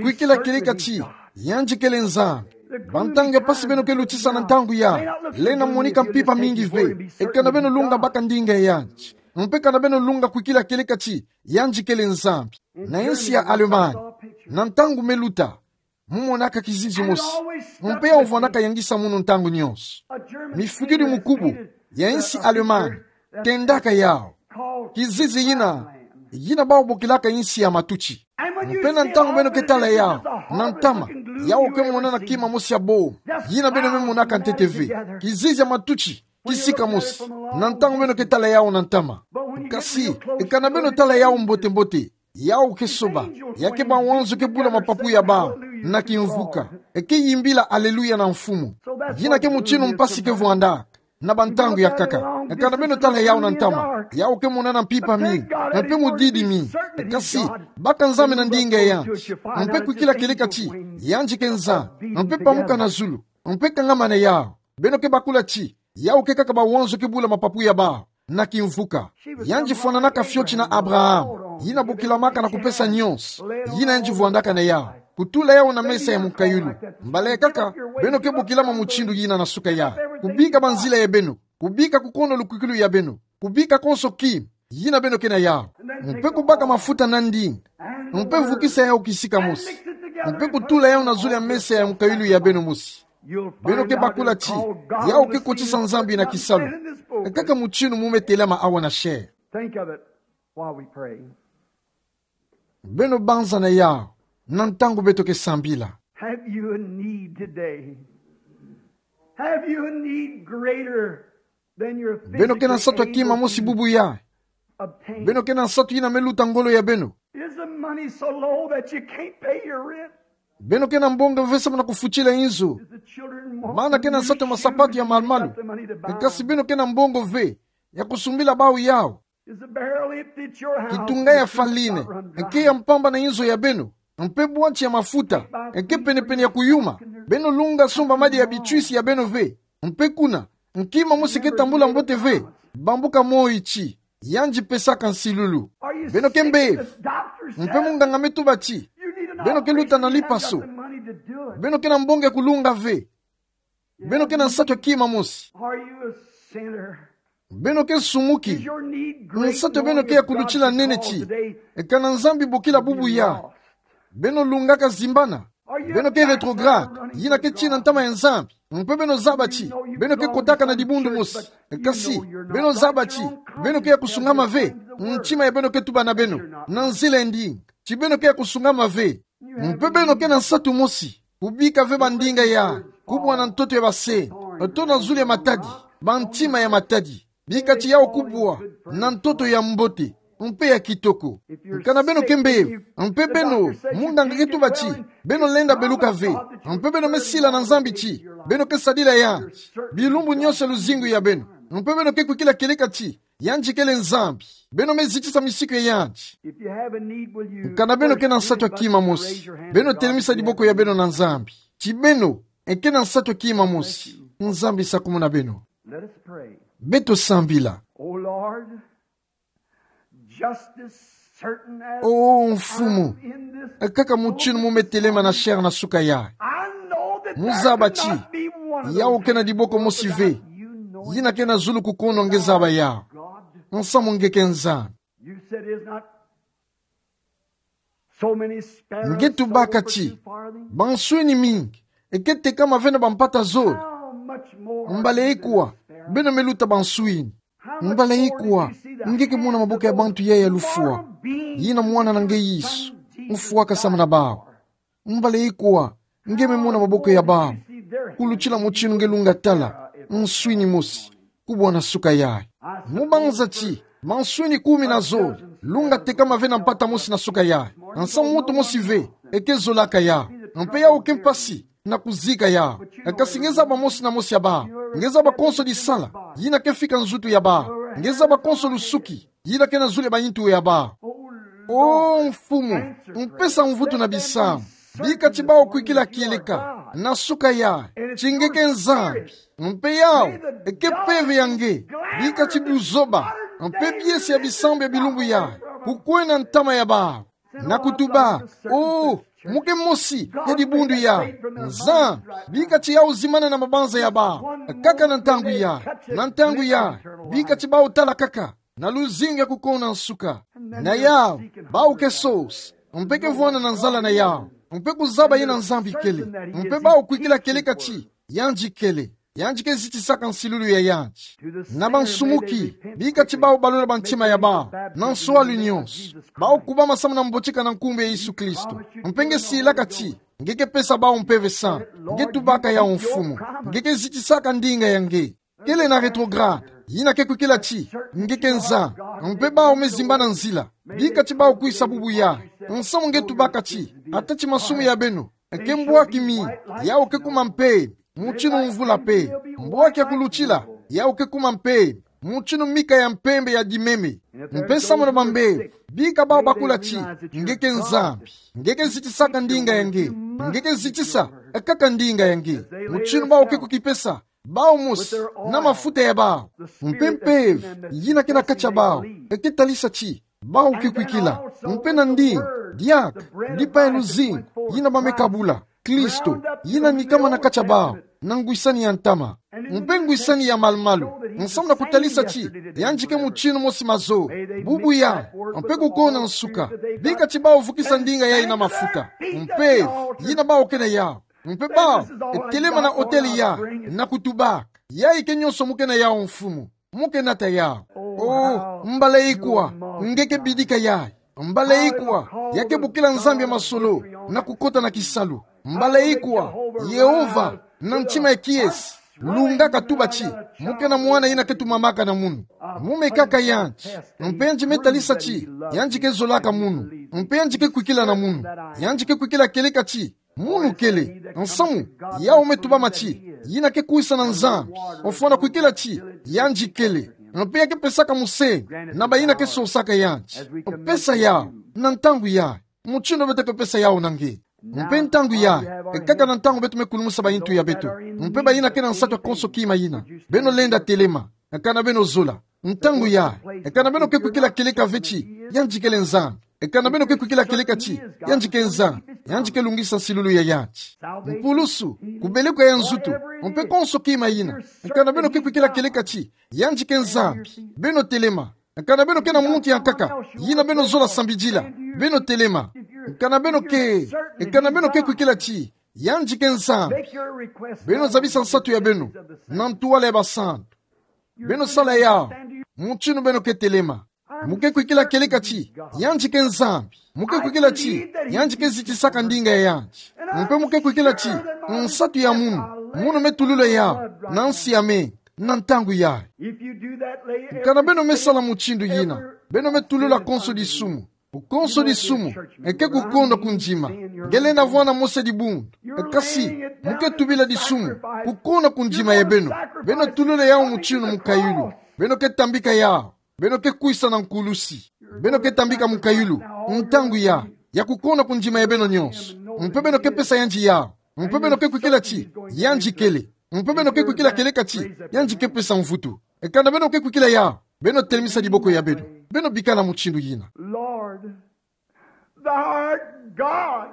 Kwikila kieleka ti, yandi kele Nzambi. Bantangu ya mpasi beno ke lutisa na ntangu yayi, lenda monika mpimpa mingi ve. Eka na beno lunga baka ndinga ya yandi. Mpe eka na beno lunga kwikila kieleka ti, yandi kele Nzambi. Na insi ya Allemagne, na ntangu me luta, mu monaka kizizi mosi. Mpe yau vwandaka yangisa munu ntangu nionso. Mifukidi mukubu ya insi Allemagne tendaka yau. Kizizi yina, yina bau bokilaka insi ya matuti. Mpe na ntangu beno ke tala yau, na ntama, yau ke monana kima mosi ya boma. Yina beno me monaka ntete ve. Kizizi ya matuti, kisika mosi. Na ntangu beno ke tala yau na ntama. Kasi, eka na beno tala yau mbote-mbote, yau ke soba, ya ke bawanzo ke bula mapapu ya bau, na kimvuka, eke yimbila aleluya na Mfumu. Yina ke mutino mpasi ke vwandaka, na bantangu ya nkaka. Eka na beno tala yau na ntama, yau ke monana mpimpa mingi, mpe mudidi mingi. Kasi, baka Nzambi na ndinga ya yandi. Mpe kwikila kieleka ti, yandi ke Nzambi, mpe pamuka na zulu, mpe kangama na yau. Beno ke bakula ti, yau ke kaka bawanzo ke bula mapapu ya bau, na kimvuka. Yandi fwananaka fioti na Abraham, yina bokilamaka na kupesa nionso, yina yandi vwandaka na yau. Kutula yau na mesa ya mukayulu. Mbala ya nkaka, beno ke bokilama mutindu yina na suka yayi. Kubika banzila ya beno, kubika kukono lukwikilu ya beno, kubika konso kima yina beno ke na yau. Mpe kubaka mafuta na ndinga. Mpe vukisa yau kisika mosi. Mpe kutula yau na zulu ya mesa ya mukayulu ya beno mosi. Beno ke bakula ti, yawu ke kotisa Nzambi na kisalu. Kaka mutinu mu me telama awa na chair. Think of it while we pray. Beno banza na yawu, na ntangu beto ke sambila. Have you a need today? Have you a need greater than your physical able to obtain? Beno ke na nsatu ya kima mosi bubu ya. Beno ke na nsatu yina me luta ngolo ya beno. Is the money so low that you can't pay your rent? Beno ke na mbongo ve samu na kufutila inzo. Is the children want new shoes? Bana ke na nsatu ya masapatu ya malu-malu. You got the money to buy them. Kasi beno ke na mbongo ve ya kusumbila bawu yawu. Is the barrel empty at your house? Kitunga ya fwa line. Not run dry. Nge ke ya mpamba na inzo ya beno. Mpe bwati ya mafuta nge ke pene-pene ya kuyuma. Beno lunga sumba madi ya bitwisi ya beno ve. Mpe kuna, kima mosi ke tambula mbote ve. Bambuka moyo ti, yandi pesaka nsilulu. Beno ke mbevo. Mpe munganga me tuba ti, beno ke luta na lipaso. Beno ke na mbongo ya kulunga ve. Beno ke na nsatu ya kima mosi. Are you a sinner? Beno ke nsumuki. Is your need great enough that God can call today? Nsatu ya beno ke ya kulutila nene ti, kana Nzambi bokila bubu ya. Beno lungaka zimbana. Beno ke retrograde, yina ke tina ntama ya Nzambi. Mpe beno zaba ti, beno ke kotaka na dibundu mosi. Kasi, beno zaba ti, beno ke ya kusungama ve. Ntima ya beno ke tuba na beno, na nzila ya ndinga, ti beno ke ya kusungama ve. Mpe beno ke na nsatu mosi, kubika ve bandinga ya, kubwa na ntoto ya basende, to na zulu ya matadi, bantima ya matadi. Bika ti yawu kubwa na ntoto ya mbote, mpe ya kitoko. Kana beno ke mbevo, mpe beno, munganga ke tuba ti, beno lenda beluka ve. Mpe beno me sila na Nzambi ti, beno ke sadila yandi bilumbu nyonso ya luzingu ya beno. Mpe beno ke kwikila kieleka ti, yandi kele Nzambi. Beno me zitisa misiku ya yandi. If you have a need, will you first lift up your hand to God? Kana beno ke na nsatu ya kima mosi, beno telemisa diboko ya beno na Nzambi. Ti beno ke na nsatu ya kima mosi. Nzambi sakumuna beno. Let us pray. Beto sambila. O Lord, just as certain as O Mfumu, I'm in this kaka mutinu mu me telema na chair na suka ya, I know that there cannot be one of those mu zaba ti, yawu ke na diboko mosi ve, without you knowing yina ke na zulu kukono nge zaba yawu. God. Nsamu nge ke Nzambi. You said, "Is not so many sparrows sold for two farthings?" Nge tubaka ti, banswini mingi, e ke tekama ve na bampata zole. How much more are you than a sparrow? Mbala ikwa, beno me luta banswini. Mbala ikwa, nge ke mona maboko ya bantu ya ya lufwa. Yina mwana na nge Yesu, mfwaka samu na bawu. Mbala ikwa, nge me mona maboko ya bawu. Kulutila mutinu nge lunga tala, nswini mosi, kubwa na suka yayi. Mu banza ti, manswini kumi na zole, lunga tekama ve na mpata mosi na suka yayi. Nsamu muntu mosi ve, e ke zolaka yawu. Mpe yawu ke mpasi na kuzika yawu. Kasi nge zaba mosi na mosi ya bawu. Nge zaba konso disala yina ke fika nzutu ya bawu. Nge zaba konso lusuki yina ke na zulu ya bayintu ya bawu. O Mfumu, mpesa mvutu na bisamu. Bika ti bawu kwikila kieleka na suka yayi ti nge ke Nzambi. Mpe yawu e ke mpeve ya nge. Bika ti buzoba mpe biesi ya bisambu ya bilumbu yayi kukwenda ntama ya bawu. Na kutuba: "O, mu ke mosi ya dibundu yayi, Nzambi, bika ti yawu zimbana na mabanza ya bawu, kaka na ntangu yayi, na ntangu yayi, bika ti bawu tala kaka na luzingu ya kukona nsuka." Na yawu, bawu ke sosa, mpe ke vwanda na nzala na yawu, mpe kuzaba yina Nzambi kele, mpe bawu kwikila kieleka ti yandi kele, yandi ke zitisaka nsilulu ya yandi. Na bansumuki, bika ti bawu balula bantima ya bawu na nswalu nyonso, bawu kubama samu na mbotika na nkumbu ya Yesu Kristo. Mpe nge silaka ti nge ke pesa bawu mpeve sambili. Nge tubaka yawu, Mfumu, nge ke zitisaka ndinga ya nge. Kele na retrograde yina ke kwikila ti nge ke Nzambi. Mpe bawu me zimbana nzila, bika ti bawu kwisa bubu yayi. Nsamu nge tubaka ti, ata ti masumu ya beno ke mbwaki mingi, yawu ke kuma mpembe mutinu mvula mpembe. Mbwaki ya kulutila, yawu ke kuma mpembe mutinu mika ya mpembe ya dimeme. Mpe samu na bambevo, bika bawu bakula ti nge ke Nzambi, nge ke zitisaka ndinga ya nge, nge ke zitisa kaka ndinga ya nge. Mutinu bawu ke kukipesa, bawu mosi na mafuta ya bawu, mpe mpeve yina ke na kati ya bawu, e ke talisa ti bawu ke kwikila. Mpe na ndinga, diaka, dipa ya luzingu yina ba me kabula, Kristo, yina nikama na kati ya bawu na ngwisani ya ntama mpe ngwisani ya malumalu, nsamu na kutalisa ti yandi ke mutinu mosi mazoba bubu yayi mpe kukona nsuka. Bika ti bawu vukisa ndinga yayi na mafuta, mpeve yina bawu ke na yawu, Mpe bau, e telema na otele ya, na kutubaka. Yayi ke nyonso mu ke na yawu, Mfumu. Mu ke nata yawu. Oh, mbala ikwa nge ke bidika yayi. Mbala ikwa ya ke bokila Nzambi ya masolo na kukota na kisalu. Mbala ikwa Yehova, na ntima ya kiese, lungaka tuba ti mu ke na mwana yina ke tumamaka na munu. Mu mekaka yandi. Mpe yandi me talisa ti yandi ke zolaka munu. Mpe yandi ke kwikila na munu. Yandi ke kwikila kieleka ti munu kele. Nsamu yawu me tubama ti yina ke kwisa na Nzambi. Ofwana kwikila ti yandi kele. Mpe ya ke pesaka musenge na bayina ke sosaka yandi. Pesa yawu na ntangu yayi, mutindu beto ke pesa yawu na nge. Mpe ntangu yayi, e kaka na ntangu beto me kulumusa bayintu ya beto. Mpe bayina ke na nsatu ya konso kima yina, beno lenda telema. Kana beno zola, ntangu yayi, kana beno ke kwikila kieleka ve ti yandi kele Nzambi. Kana beno ke kwikila kieleka ti yandi ke Nzambi, yandi ke lungisa nsilulu ya yandi. Mpulusu, kubeleka ya nzutu, mpe konso kima yina. Kana beno ke kwikila kieleka ti yandi ke Nzambi, beno telema. Kana beno ke na muntu ya nkaka yina beno zola sambidila, beno telema. Kana beno ke, kana beno ke kwikila ti yandi ke Nzambi, beno zabisa nsatu ya beno na ntuwala ya basantu. Beno sala yawu, mutindu beno ke telema. Mu ke kwikila kieleka ti yandi ke Nzambi. Mu ke kwikila ti yandi ke zitisaka ndinga ya yandi. Mpe mu ke kwikila ti nsatu ya munu, munu me tulula yawu na nsi ya menga na ntangu yayi. Kana beno me sala mutindu yina, beno me tulula konso disumu. Konso disumu, e ke kukonda kundima. Nge lenda vwanda mosi ya dibundu, kasi mu ke tubila disumu, kukonda kundima ya beno. Beno tulula yawu mutindu mukayulu. Beno ke tambika yawu. Beno ke kwisa na nkulusi. Beno ke tambika mukayulu, ntangu yayi, ya kukonda kundima ya beno nyonso. Mpe beno ke pesa yandi yawu. Mpe beno ke kwikila ti yandi kele. Mpe beno ke kwikila kieleka ti yandi ke pesa mvutu. Kana beno ke kwikila yawu, beno telemisa diboko ya beno. Beno bikana mutindu yina. Lord, thou art God.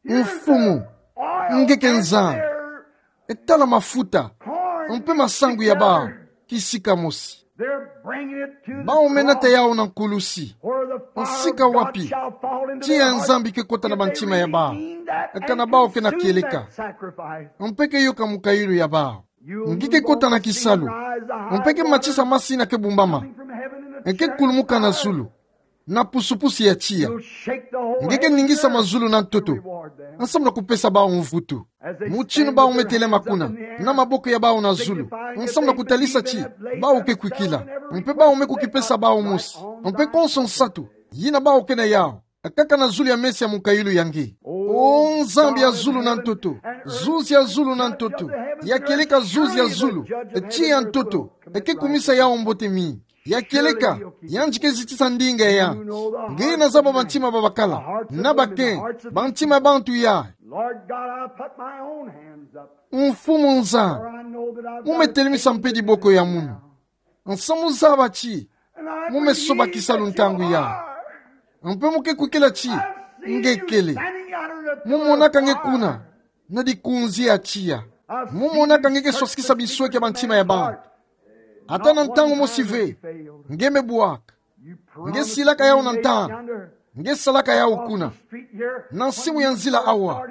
Mfumu, nge ke Nzambi. E tala mafuta mpe masangu ya bawu kisika mosi. They're bringing it to the cross. Bawu me nata yawu na nkulusi. Where the fire of God shall fall into their hearts. Nsika wapi tiya ya Nzambi ke kota na bantima ya bawu. If they really mean that and conceive that, kana bawu ke na kieleka, mpe ke yoka mukayulu ya bawu, nge ke kota na kisalu, mpe ke matisa masi yina ke bumbama, nge ke kulumuka na zulu na pusupusu ya tiya. Nge ke ningisa mazulu na ntoto, nsamu na kupesa bawu mvutu. Mutindu bawu me telema kuna, na maboko ya bawu na zulu, nsamu na kutalisa ti bawu ke kwikila, mpe bawu me kukipesa bawu mosi, mpe konso nsatu yina bawu ke na yawu, kaka na zulu ya meso ya mukayulu ya nge. O Nzambi ya zulu na ntoto, zuzi ya zulu na ntoto, ya kieleka zuzi ya zulu, tiya ya ntoto, e ke kumisa yawu mbote mingi. Ya kieleka, yandi ke zitisa ndinga ya yandi. Nge na zaba bantima babakala, na bakengi, bantima ya bantu yayi. Lord God, I put my own hands up. Mfumu Nzambi, mu me telemisa mpe diboko ya munu. Nsamu zaba ti mu me soba kisalu ntangu yayi. Mpe mu ke kwikila ti nge kele. Mu monaka nge kuna na dikunzi ya tiya. Mu monaka nge ke swasikisa bisweki ya bantima ya bantu. Ata na ntangu mosi ve nge me bwaka. Nge silaka yawu na ntangu. Nge salaka yawu kuna, na nsimu ya nzila awa,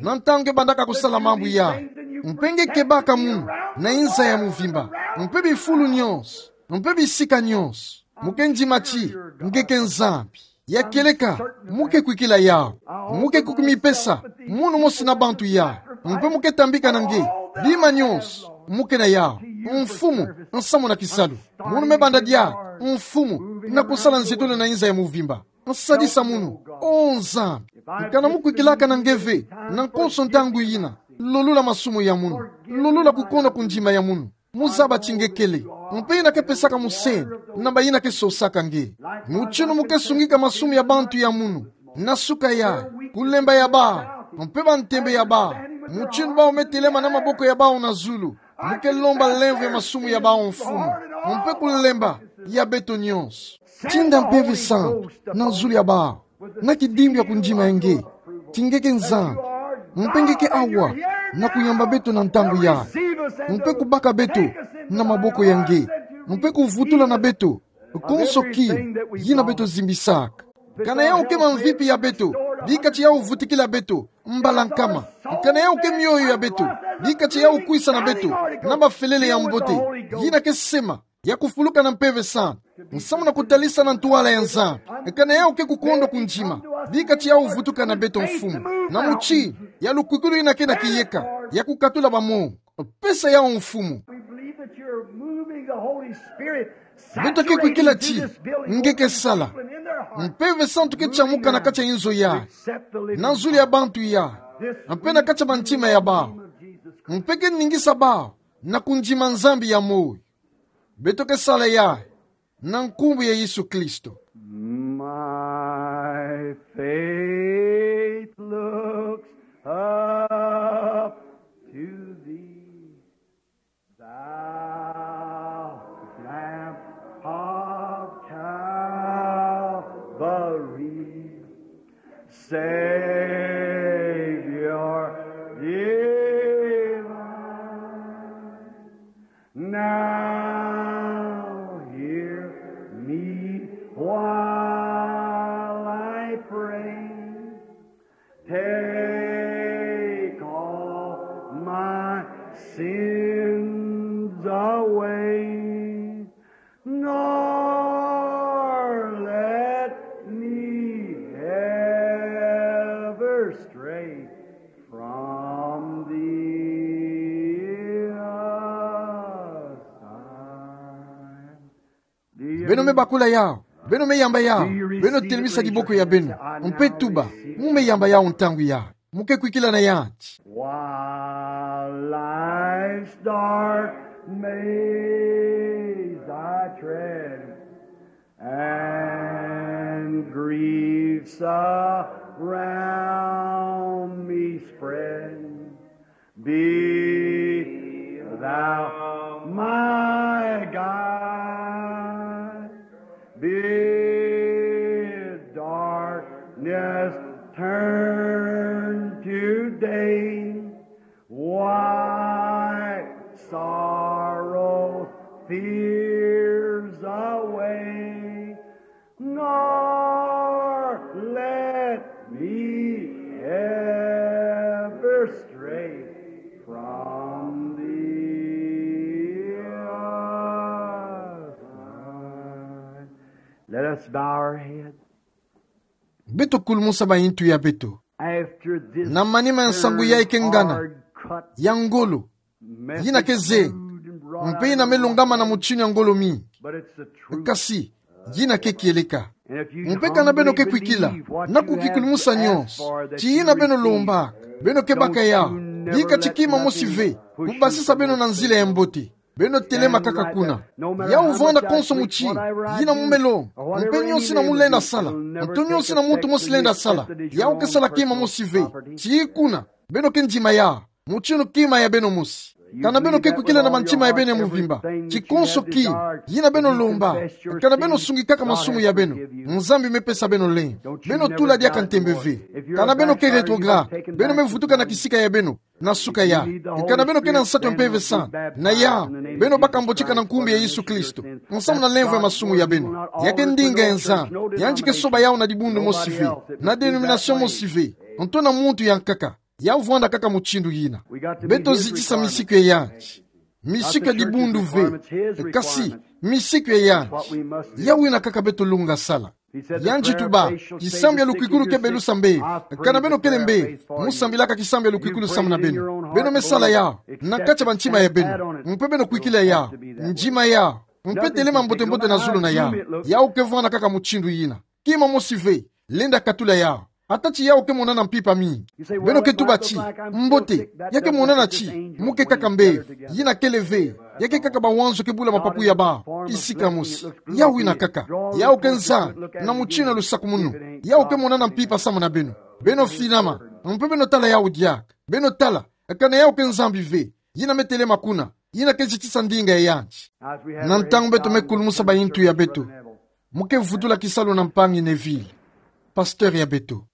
na ntangu nge bandaka kusala mambu yayi. Mpe nge kebaka munu na inza ya muvimba, mpe bifulu nyonso, mpe bisika nyonso. Mu ke ndima ti nge ke Nzambi. Ya kieleka, mu ke kwikila yawu. Mu ke kukimipesa munu mosi na bantu yayi. Mpe mu ke tambika na nge bima nyonso mu ke na yawu. Mfumu, nsamu na kisalu. Munu me banda diaka, Mfumu, na kusala nzitulu na inza ya muvimba. Nsadisa munu, O Nzambi. Kana mu kwikilaka na nge ve na konso ntangu yina, lolula masumu ya munu, lolula kukonda kundima ya munu. Mu zaba ti nge kele, mpe yina ke pesaka musenu na bayina ke sosaka nge. Mutindu mu ke sungika masumu ya bantu ya munu, na suka yayi, kulemba ya bawu, mpe bantembe ya bawu. Mutindu bawu me telema na maboko ya bawu na zulu, mu ke lomba lemvo ya masumu ya bawu, Mfumu, mpe kulemba ya beto nyonso. Tinda Mpeve Santu na zulu ya bawu, na kidimbu ya kundima ya nge ti nge ke Nzambi, mpe nge ke awa na kuyamba beto na ntangu yayi, mpe kubaka beto na maboko ya nge, mpe kuvutula na beto konso kima yina beto zimbisaka. Kana yawu ke mamvipi ya beto, bika ti yawu vutukila beto, mbala nkama. Kana yawu ke mioyo ya beto, bika tia yawu kwisa na beto na bafelele ya mbote, yina ke sema, ya kufuluka na Mpeve Santu, nsamu na kutalisa na ntwala ya Nzambi. Kana yawu ke kukondwa kundima, bika tia yawu vutuka na beto, Mfumu, na muti ya lukwikulu yina ke na kiyeka, ya kukatula bamon. Pesa yawu, Mfumu. We believe that you're moving the Holy Spirit. Beto ke kwikila ti nge ke sala. Mpeve Santu ke tiamuka na kati ya inzo yayi, na zulu ya bantu yayi, mpe na kati ya bantima ya bawu. Mpe ke ningisa bawu na kundima Nzambi ya moyo. Beto ke sala yayi na nkumbu ya Yesu Kristo. My faith looks up to thee, thou Lamb of Calvary, Savior divine. Now hear me while I pray. Take all my sins away, nor let me ever stray from thee aside. Beno me bakula yawu, beno me yamba yawu, beno telemisa diboko ya beno, mpe tuba, mu me yamba yawu ntangu yayi, mu ke kwikila na yandi. While life's dark maze I tread, and griefs around me spread, be thou my guide. Bid darkness turn to day. Wipe sorrow, fears away. Nor let me ever stray from thee aside. Let us bow our heads. Beto kulumusa bayintu ya beto. After this, na manima ya nsangu yayi ke ngana, hard cut, ya ngolo, yina ke ze, mpe yina me longama na mutinu ya ngolo mingi. Kasi yina ke kieleka. Mpe kana beno ke kwikila na kukikulumusa nyonso, ti yina beno lombaka, beno ke baka yawu, bika ti kima mosi ve kubasisa beno na nzila ya mbote, beno telema kaka kuna. Yawu vwanda konso muti yina mu me longa, mpe nyonso yina mu lenda sala, nto nyonso yina muntu mosi lenda sala, yawu ke sala kima mosi ve. Ti kuna beno ke ndima yawu, mutinu kima ya beno mosi. Kana beno ke kwikila na mantima ya beno ya muvimba, ti konso kima yina beno lombaka, kana beno sungikaka masumu ya beno, Nzambi me pesa beno lemvo. Beno tula diaka ntembe ve. Kana beno ke rétrograde, beno me vutuka na kisika ya beno na suka yayi. Kana beno ke na nsatu ya Mpeve Santu, na yawu beno baka mbotika na nkumbu ya Yesu Kristo, nsamu na lemvo ya masumu ya beno. Ya ke ndinga ya Nzambi, yandi ke soba yawu na dibundu mosi ve, na dénomination mosi ve, nto na muntu ya nkaka. Yawu vwanda kaka mutindu yina. Beto zitisa misiku ya yandi, misiku ya dibundu ve, kasi misiku ya yandi, yawu yina kaka beto lunga sala. Yandi tuba, kisambu ya lukwikulu ke belusa mbevo. Kana beno kele mbevo, mu sambilaka kisambu ya lukwikulu samu na beno. Beno me sala yawu na kati ya bantima ya beno, mpe beno kwikila yawu, ndima yawu, mpe telema mbote-mbote na zulu na yawu. Yawu ke vwanda kaka mutindu yina, kima mosi ve, lenda katula yawu. Ata ti yawu ke monana mpimpa mingi, beno ke tuba ti, mbote, ya ke monana ti mu ke kaka mbevo. Yina kele ve, ya ke kaka bawanzo ke bula mapapu ya bawu kisika mosi. Yawu yina kaka. Yawu ke Nzambi na mutinu ya lusakumunu. Yawu ke monana mpimpa samu na beno. Beno finama, mpe beno tala yawu diaka. Beno tala, kana yawu ke Nzambi ve, yina me telema kuna, yina ke zitisa ndinga ya yandi. Na ntangu beto me kulumusa bayintu ya beto, mu ke vutula kisalu na mpangi Neville, pasteur ya beto.